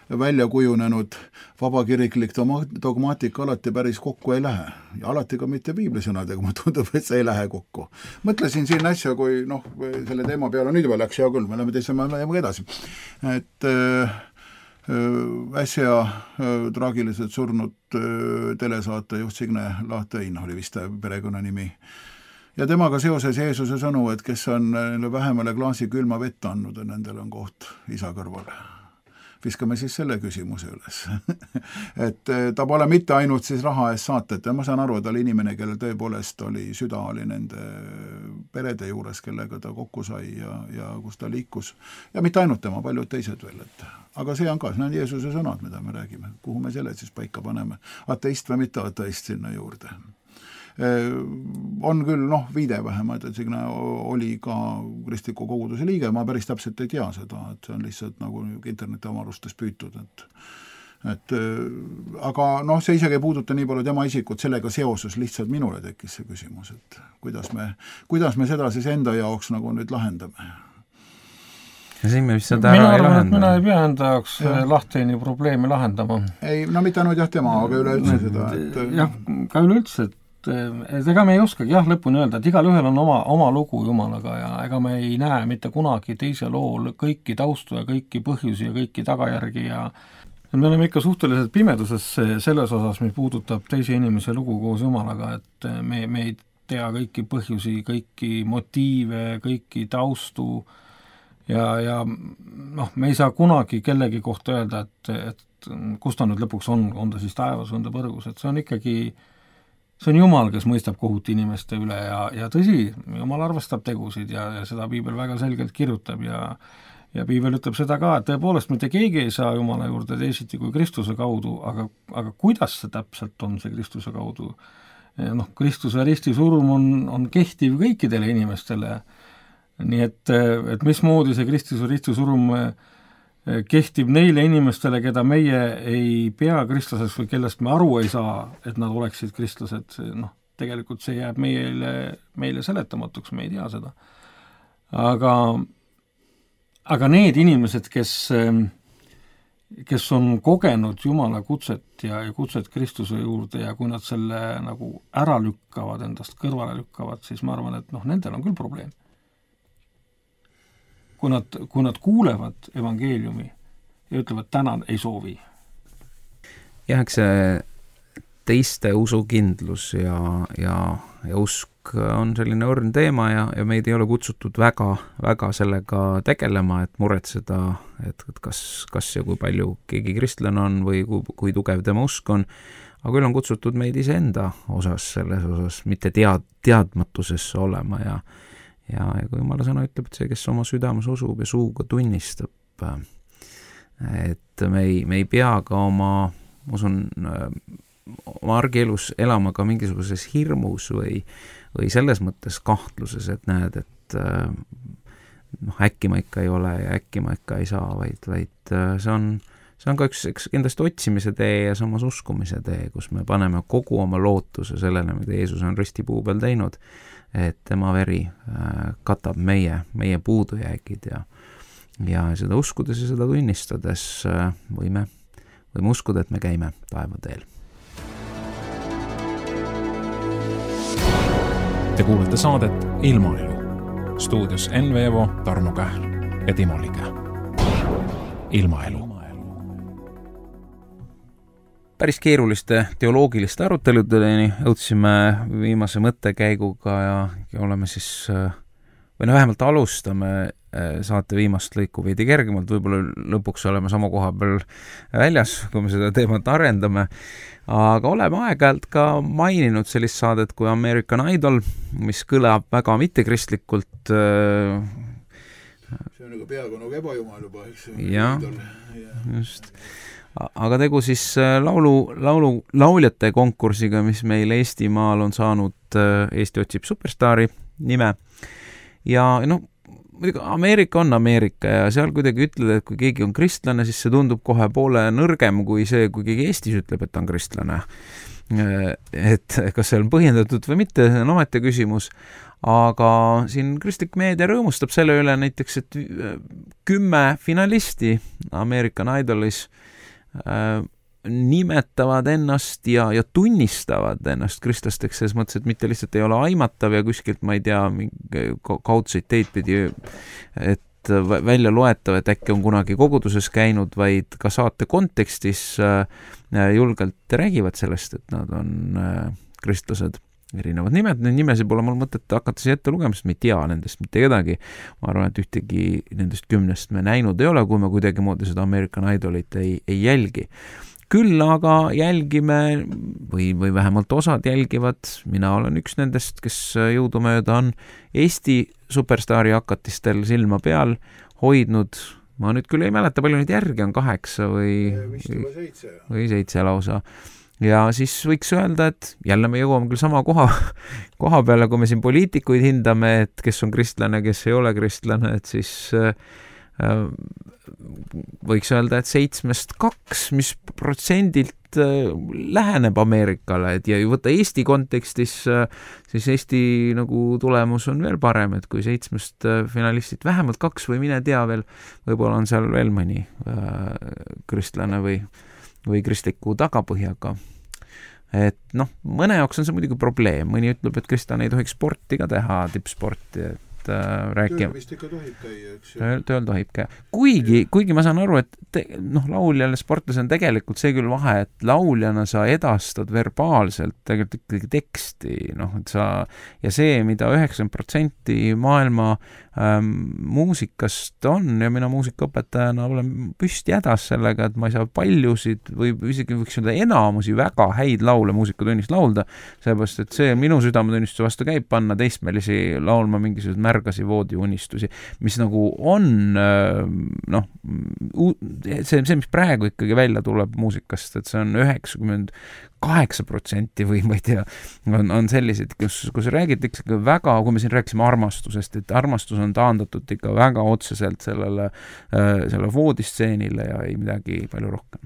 välja kujunenud vabakiriklik dogmaatika alati päris kokku ei lähe. Ja alati ka mitte piiblisõnadega, ma tundub, et see ei lähe kokku. Mõtlesin siin asja, kui noh, selle teema peale nüüd juba läks hea küll, me oleme teise me edasi. Et äh, äsja äh, traagiliselt surnud äh, telesaate juht Signe Lahtein oli vist perekonna nimi. Ja temaga seoses Jeesuse sõnu, et kes on vähemale klaasi külma vett andnud, nendel on koht isa kõrvale. Viskame siis selle küsimuse üles. et ta pole mitte ainult siis raha eest saatet ja ma saan aru, et ta oli inimene, kellel tõepoolest oli süda oli nende perede juures, kellega ta kokku sai ja, ja kus ta liikus. Ja mitte ainult tema, paljud teised veel. Et, aga see on ka, see on Jeesuse sõnad, mida me räägime. Kuhu me selle siis paika paneme? Ateist või mitte ateist sinna juurde? On küll, noh, viide vähemalt, et Signe oli ka kristliku koguduse liige, ma päris täpselt ei tea seda, et see on lihtsalt nagu interneti omarustes püütud, et, et aga noh, see isegi ei puuduta nii palju tema isikut, sellega seoses lihtsalt minule tekkis see küsimus, et kuidas me, kuidas me seda siis enda jaoks nagu nüüd lahendame. ja siin me vist seda ära ei lahenda. Mina ei pea enda jaoks lahteini probleemi lahendama. Ei, no mitte ainult jah tema, aga üleüldse seda. Et... jah, ka üleüldse, et, et ega me ei oskagi jah lõpuni öelda, et igal ühel on oma, oma lugu Jumalaga ja ega me ei näe mitte kunagi teise lool kõiki taustu ja kõiki põhjusi ja kõiki tagajärgi ja me oleme ikka suhteliselt pimeduses selles osas, mis puudutab teise inimese lugu koos Jumalaga, et me, me ei tea kõiki põhjusi, kõiki motiive, kõiki taustu ja, ja noh, me ei saa kunagi kellegi kohta öelda, et, et kus ta nüüd lõpuks on, on ta siis taevas, on ta põrgus, et see on ikkagi, see on Jumal, kes mõistab kohut inimeste üle ja, ja tõsi, Jumal arvestab tegusid ja, ja seda Piibel väga selgelt kirjutab ja ja Piibel ütleb seda ka, et tõepoolest mitte keegi ei saa Jumala juurde teisiti kui Kristuse kaudu, aga, aga kuidas see täpselt on, see Kristuse kaudu? Noh, Kristuse ristisurm on, on kehtiv kõikidele inimestele. Nii et, et mismoodi see Kristuse ristisurm kehtib neile inimestele, keda meie ei pea kristlaseks või kellest me aru ei saa, et nad oleksid kristlased, noh, tegelikult see jääb meile, meile seletamatuks, me ei tea seda. Aga, aga need inimesed, kes, kes on kogenud Jumala kutset ja, ja kutset Kristuse juurde ja kui nad selle nagu ära lükkavad, endast kõrvale lükkavad, siis ma arvan, et noh, nendel on küll probleem. Kui nad, kui nad kuulevad evangeeliumi ja ütlevad, tänan ei soovi. Jah, eks see teiste usukindlus ja, ja, ja usk on selline õrn teema ja, ja meid ei ole kutsutud väga, väga sellega tegelema, et muretseda, et, et kas, kas ja kui palju keegi kristlane on või kui, kui tugev tema usk on, aga küll on kutsutud meid iseenda osas, selles osas, mitte tead, teadmatusesse olema ja Ja, ja kui Jumala sõna ütleb, et see, kes oma südames usub ja suuga tunnistab, et me ei, me ei pea ka oma, ma usun, oma argielus elama ka mingisuguses hirmus või, või selles mõttes kahtluses, et näed, et noh, äkki ma ikka ei ole ja äkki ma ikka ei saa, vaid, vaid see on, see on ka üks, üks kindlasti otsimise tee ja samas uskumise tee, kus me paneme kogu oma lootuse sellele, mida Jeesus on ristipuu peal teinud, et tema veri katab meie, meie puudujäägid ja, ja seda uskudes ja seda tunnistades võime, võime uskuda, et me käime taevateel. Te kuulete saadet Ilmaelu. Stuudios Enn Veevo, Tarmo Kähl ja Timo Liga. Ilmaelu. Päris keeruliste teoloogiliste aruteludeni jõudsime viimase mõttekäiguga ja, ja oleme siis, või no vähemalt alustame saate viimast lõiku veidi kergemalt, võib-olla lõpuks oleme sama koha peal väljas, kui me seda teemat arendame, aga oleme aeg-ajalt ka maininud sellist saadet kui American Idol, mis kõlab väga mittekristlikult. See on nagu peaaegu nagu ebajumal juba, eks? Jah, just. Aga tegu siis laulu, laulu, lauljate konkursiga, mis meil Eestimaal on saanud Eesti otsib superstaari nime. Ja noh, Ameerika on Ameerika ja seal kuidagi ütled, et kui keegi on kristlane, siis see tundub kohe poole nõrgem kui see, kui keegi Eestis ütleb, et ta on kristlane. Et kas see on põhjendatud või mitte, see on ometi küsimus. Aga siin kristlik meedia rõõmustab selle üle näiteks, et kümme finalisti American Idolis nimetavad ennast ja, ja tunnistavad ennast kristlasteks, selles mõttes, et mitte lihtsalt ei ole aimatav ja kuskilt, ma ei tea, kaudseid teid pidi, et välja loetav, et äkki on kunagi koguduses käinud, vaid ka saate kontekstis julgelt räägivad sellest, et nad on kristlased. Erinevad nimed, need nimesid pole mul mõtet hakata siia ette lugema, sest me ei tea nendest mitte kedagi. Ma arvan, et ühtegi nendest kümnest me näinud ei ole, kui me kuidagi moodi seda American Idolit ei, ei jälgi. Küll aga jälgime, või, või vähemalt osad jälgivad, mina olen üks nendest, kes jõudumööda on Eesti superstaari hakatistel silma peal hoidnud, ma nüüd küll ei mäleta, palju nüüd järgi on, kaheksa või, või, või seitse lausa. Ja siis võiks öelda, et jälle me jõuame küll sama koha, koha peale, kui me siin poliitikuid hindame, et kes on kristlane, kes ei ole kristlane, et siis äh, võiks öelda, et seitsmest kaks, mis protsendilt läheneb Ameerikale, et ja võtta Eesti kontekstis, siis Eesti nagu tulemus on veel parem, et kui seitsmest finalistid vähemalt kaks või mine tea veel, võib-olla on seal veel mõni äh, kristlane või, või kristliku tagapõhjaga. Et noh, mõne jaoks on see muidugi probleem, mõni ütleb, et kristlane ei tohiks sporti ka teha, tippsporti, et rääkima. Tööl vist ikka tohib käia, eks ju. Tööl, tööl tohib käia. Kuigi, kuigi ma saan aru, et te, noh, lauljal ja sportlas on tegelikult see küll vahe, et lauljana sa edastad verbaalselt tegelikult ikkagi teksti, noh, et sa, ja see, mida üheksakümmend protsenti maailma ähm, muusikast on, ja mina muusikaõpetajana olen püsti hädas sellega, et ma ei saa paljusid või isegi võiks öelda enamusi väga häid laule muusikatunnis laulda, sellepärast, et see minu südametunnistuse vastu käib panna teistmelisi laulma mingisugused märgasi voodiunistusi, mis nagu on noh, see, see, mis praegu ikkagi välja tuleb muusikast, et see on üheksakümmend kaheksa protsenti või ma ei tea, on, on sellised, kus, kus räägitakse ikka väga, kui me siin rääkisime armastusest, et armastus on taandatud ikka väga otseselt sellele, selle voodistseenile ja ei midagi palju rohkem.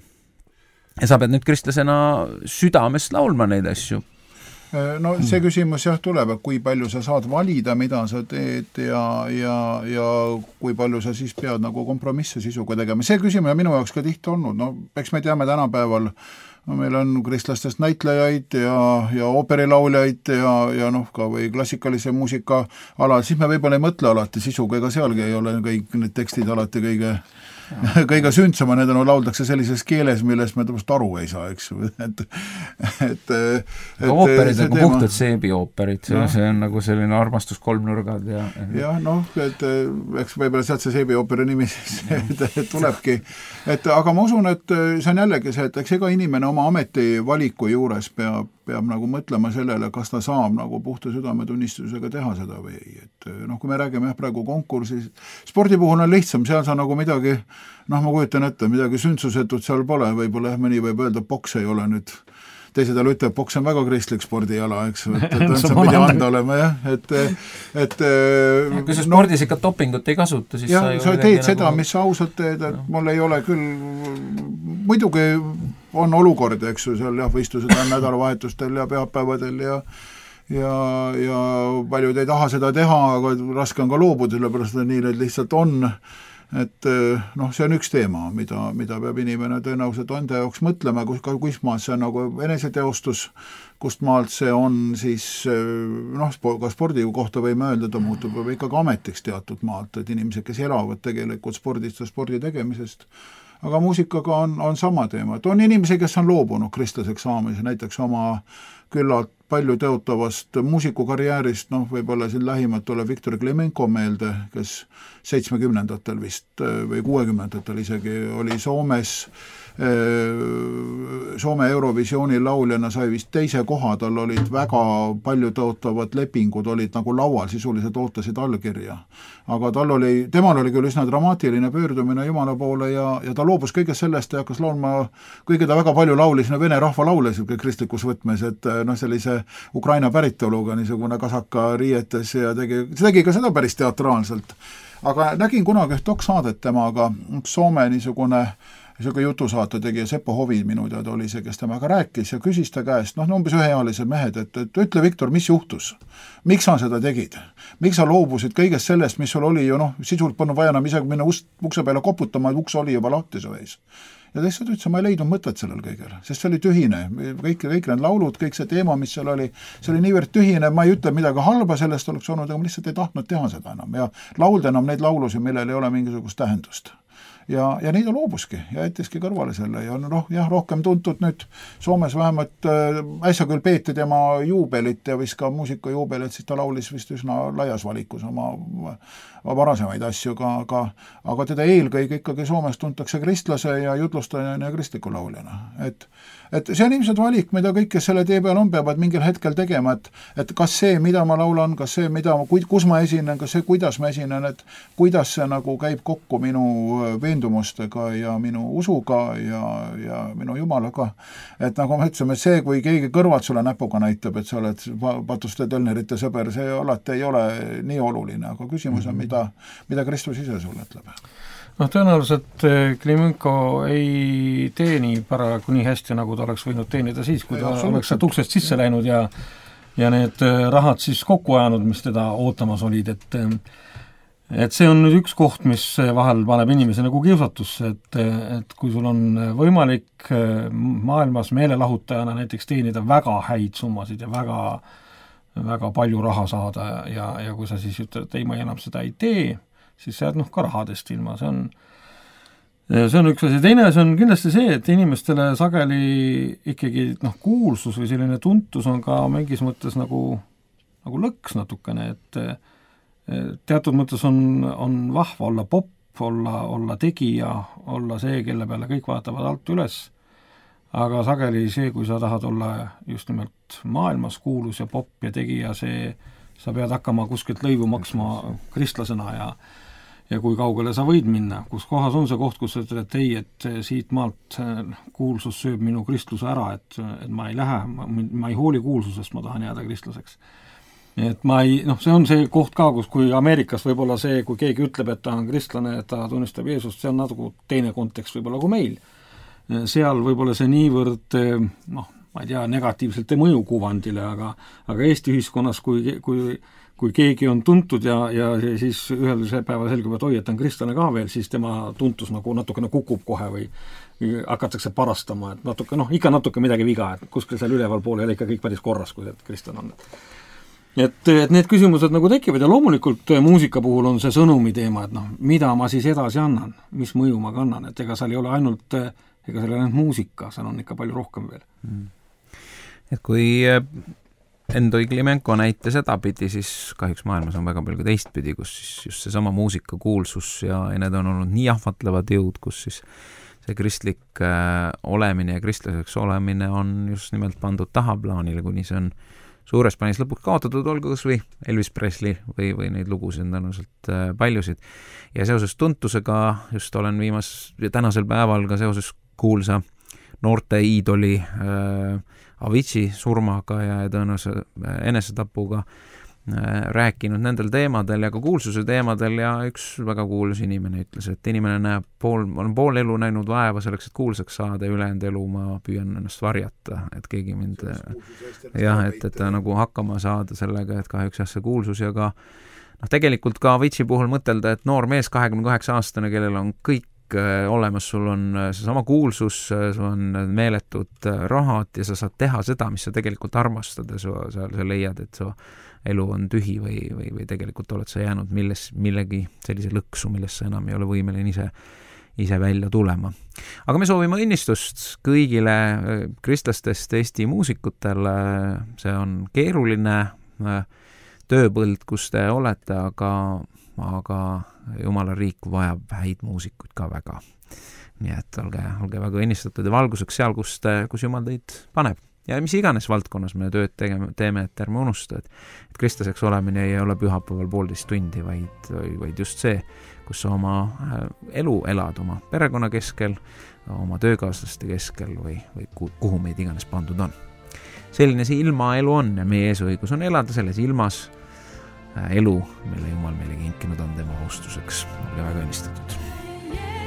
Ja sa pead nüüd kristlasena südamest laulma neid asju. No see küsimus jah tuleb, et kui palju sa saad valida, mida sa teed ja, ja, ja kui palju sa siis pead nagu kompromisse sisuga tegema. See küsimus on minu jaoks ka tihti olnud, no eks me teame tänapäeval, no meil on kristlastest näitlejaid ja, ja ooperilauljaid ja, ja noh, ka või klassikalise muusika ala, siis me võib-olla ei mõtle alati sisuga, ega sealgi ei ole kõik need tekstid alati kõige kõige sündsama, need on lauldakse sellises keeles, millest me tõenäoliselt aru ei saa, eks ju, et et, et ooperid on teema... puhtad seebiooperid, see, no. see on nagu selline armastus kolmnurgad ja jah, noh, et eks võib-olla sealt see seebiooperi nimi siis tulebki, et aga ma usun, et see on jällegi see, et eks ega inimene oma ametivaliku juures peab peab nagu mõtlema sellele, kas ta saab nagu puhta südametunnistusega teha seda või ei, et noh, kui me räägime jah, praegu konkursis, spordi puhul on lihtsam, seal sa nagu midagi, noh, ma kujutan ette, midagi sündsusetut seal pole, võib-olla jah, mõni võib öelda, boks ei ole nüüd, teised jälle ütleb, boks on väga kristlik spordiala, eks, et, et, et see pidi anda olema, jah, et, et ja, kui sa spordis no, ikka dopingut ei kasuta, siis jah, sa, sa teed seda nagu... mis sa ausalt teed, et no. Mul ei ole küll, muidugi on olukord, eks ju, seal jah, võistlused on nädalavahetustel ja pühapäevadel ja ja, ja paljud ei taha seda teha, aga raske on ka loobuda, sellepärast et nii need lihtsalt on, et noh, see on üks teema, mida, mida peab inimene tõenäoliselt enda jaoks mõtlema, kus, kus maalt see on nagu eneseteostus, kust maalt see on siis noh, ka spordi kohta võime öelda, ta muutub ikkagi ametiks teatud maalt, et inimesed, kes elavad tegelikult spordist ja spordi tegemisest, aga muusikaga on, on sama teema, et on inimesi, kes on loobunud kristlaseks saamise, näiteks oma küllalt palju teotavast muusikukarjäärist, noh, võib-olla siin lähimalt tuleb Viktor Klemenko meelde, kes seitsmekümnendatel vist või kuuekümnendatel isegi oli Soomes, Soome Eurovisiooni lauljana sai vist teise koha, tal olid väga palju tõotavad lepingud, olid nagu laual, sisuliselt ootasid allkirja. Aga tal oli, temal oli küll üsna dramaatiline pöördumine Jumala poole ja, ja ta loobus kõigest sellest ja hakkas laulma, kuigi ta väga palju laulis vene rahva laule kristlikus võtmes, et noh, sellise Ukraina päritoluga niisugune kasaka riietes ja tegi, tegi ka seda päris teatraalselt. Aga nägin kunagi üht doksaadet temaga, Soome niisugune niisugune jutusaate tegija Seppo Hovi minu teada oli see, kes temaga rääkis ja küsis ta käest, noh, umbes üheealised mehed, et, et ütle, Viktor, mis juhtus? Miks sa seda tegid? Miks sa loobusid kõigest sellest, mis sul oli ju, noh, sisult polnud vaja enam isegi minna ust, ukse peale koputama, et uks oli juba lahti su ees. Ja teised ütles, ma ei leidnud mõtet sellel kõigel, sest see oli tühine, kõik, kõik need laulud, kõik see teema, mis seal oli, see oli niivõrd tühine, ma ei ütle midagi halba sellest oleks olnud, aga ma lihtsalt ei tahtnud teha seda enam ja laulda enam neid laulusi, millel ei ole mingisugust tähendust. Ja, ja neid loobuski ja jättiski kõrvale selle ja noh, jah, rohkem tuntud nüüd Soomes vähemalt äh, äsja küll peeti tema juubelit ja vist ka muusikajuubelit, siis ta laulis vist üsna laias valikus oma varasemaid asju, aga, aga teda eelkõige ikkagi Soomes tuntakse kristlase ja jutlustajana ja kristliku lauljana. Et, et see on ilmselt valik, mida kõik, kes selle tee peal on, peavad mingil hetkel tegema, et, et kas see, mida ma laulan, kas see, mida, kus ma esinen, kas see, kuidas ma esinen, et kuidas see nagu käib kokku minu veendumustega ja minu usuga ja, ja minu Jumalaga. Et nagu me ütlesime, see, kui keegi kõrvad sulle näpuga näitab, et sa oled Patuste Tölnerite sõber, see alati ei ole nii oluline, aga küsimus on, mida, mida Kristus ise sulle ütleb. noh, tõenäoliselt Klimenko ei teeni paraku nii hästi, nagu ta oleks võinud teenida siis, kui ta oleks sealt uksest sisse läinud ja ja need rahad siis kokku ajanud, mis teda ootamas olid, et et see on nüüd üks koht, mis vahel paneb inimese nagu kiusatusse, et, et kui sul on võimalik maailmas meelelahutajana näiteks teenida väga häid summasid ja väga, väga palju raha saada ja, ja kui sa siis ütled, et ei, ma enam seda ei tee, siis sa jääd noh ka rahadest ilma, see on see on üks asi, teine asi on kindlasti see, et inimestele sageli ikkagi noh, kuulsus või selline tuntus on ka mingis mõttes nagu, nagu lõks natukene, et teatud mõttes on, on vahva olla popp, olla, olla tegija, olla see, kelle peale kõik vaatavad alt üles, aga sageli see, kui sa tahad olla just nimelt maailmas kuulus ja popp ja tegija, see, sa pead hakkama kuskilt lõivu maksma kristlasena ja ja kui kaugele sa võid minna, kus kohas on see koht, kus sa ütled, et ei, et siit maalt kuulsus sööb minu kristluse ära, et, et ma ei lähe, ma, ma ei hooli kuulsusest, ma tahan jääda kristlaseks. Et ma ei, noh, see on see koht ka, kus kui Ameerikas võib-olla see, kui keegi ütleb, et ta on kristlane, et ta tunnistab Jeesust, see on natuke teine kontekst võib-olla kui meil. Seal võib-olla see niivõrd, noh, ma ei tea, negatiivselt ei mõju kuvandile, aga, aga Eesti ühiskonnas, kui, kui kui keegi on tuntud ja, ja siis ühel päeval selgub, et oi, et on kristlane ka veel, siis tema tuntus nagu natukene kukub kohe või hakatakse parastama, et natuke, noh, ikka natuke midagi viga, et kuskil seal üleval pool ei ole ikka kõik päris korras, kui see kristlane on. Et, et need küsimused nagu tekivad ja loomulikult muusika puhul on see sõnumi teema, et noh, mida ma siis edasi annan, mis mõju ma kannan, et ega seal ei ole ainult, ega seal ei ole ainult muusika, seal on ikka palju rohkem veel. Et kui Endoi Klimenko näite sedapidi, siis kahjuks maailmas on väga palju teistpidi, kus siis just seesama muusika kuulsus ja, ja need on olnud nii ahvatlevad jõud, kus siis see kristlik äh, olemine ja kristlaseks olemine on just nimelt pandud tahaplaanile, kuni see on suures plaanis lõpuks kaotatud, olgu kas või Elvis Presley või, või neid lugusid on tõenäoliselt äh, paljusid. Ja seoses tuntusega just olen viimas, tänasel päeval ka seoses kuulsa noorte iidoli äh, Avicii surmaga ja tõenäoliselt enesetapuga rääkinud nendel teemadel ja ka kuulsuse teemadel ja üks väga kuulus inimene ütles, et inimene näeb pool, olen pool elu näinud vaeva selleks, et kuulsaks saada ja ülejäänud elu ma püüan ennast varjata, et keegi mind jah, et, et nagu hakkama saada sellega, et kahjuks jah, see kuulsus ja ka noh, tegelikult ka Avicii puhul mõtelda, et noor mees, kahekümne kaheksa aastane, kellel on kõik olemas, sul on seesama kuulsus, sul on meeletud rahad ja sa saad teha seda, mis sa tegelikult armastad ja sa, sa, sa leiad, et su elu on tühi või, või, või tegelikult oled sa jäänud milles, millegi sellise lõksu, millest sa enam ei ole võimeline ise, ise välja tulema. Aga me soovime õnnistust kõigile kristlastest Eesti muusikutele, see on keeruline tööpõld, kus te olete, aga aga Jumala riik vajab häid muusikuid ka väga. Nii et olge, olge väga õnnistatud ja valguseks seal, kus, te, kus Jumal teid paneb. Ja mis iganes valdkonnas me tööd tegeme, teeme, et ärme unusta, et, et kristlaseks olemine ei ole pühapäeval poolteist tundi, vaid, vaid just see, kus sa oma elu elad oma perekonna keskel, oma töökaaslaste keskel või, või kuhu meid iganes pandud on. Selline see ilmaelu on ja meie eesõigus on elada selles ilmas elu, mille Jumal meile kinkinud on tema austuseks. Olge väga õnnistatud. Yeah.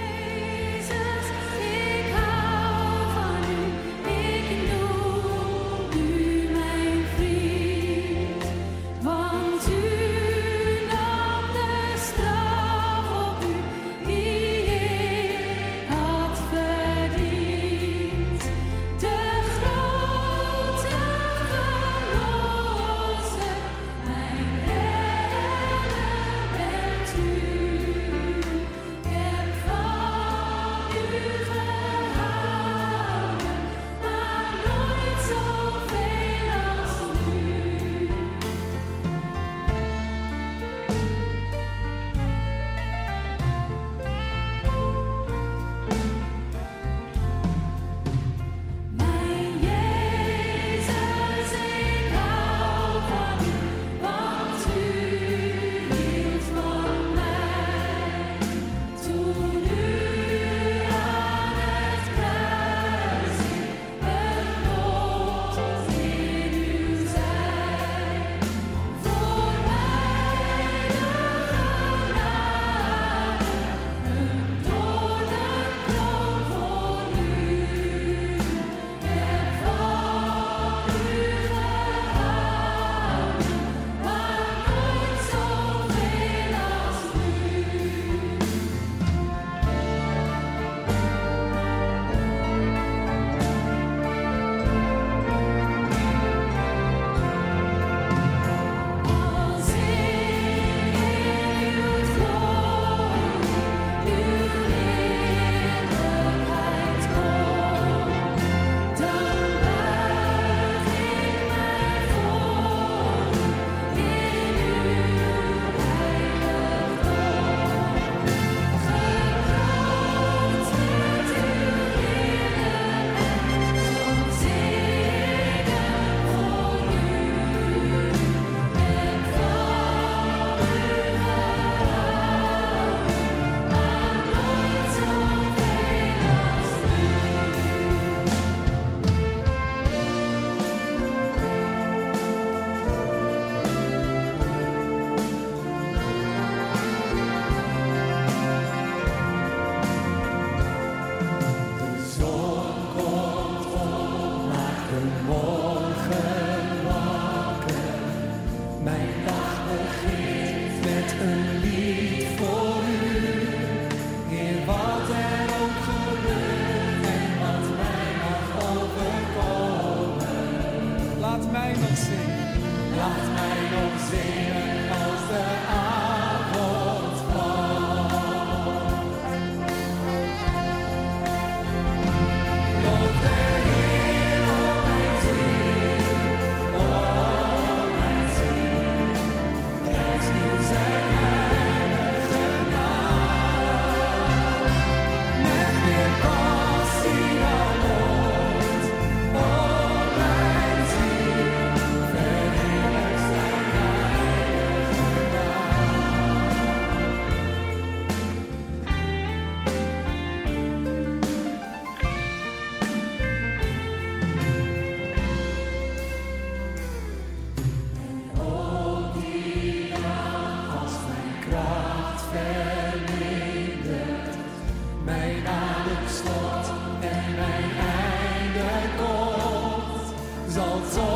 Zal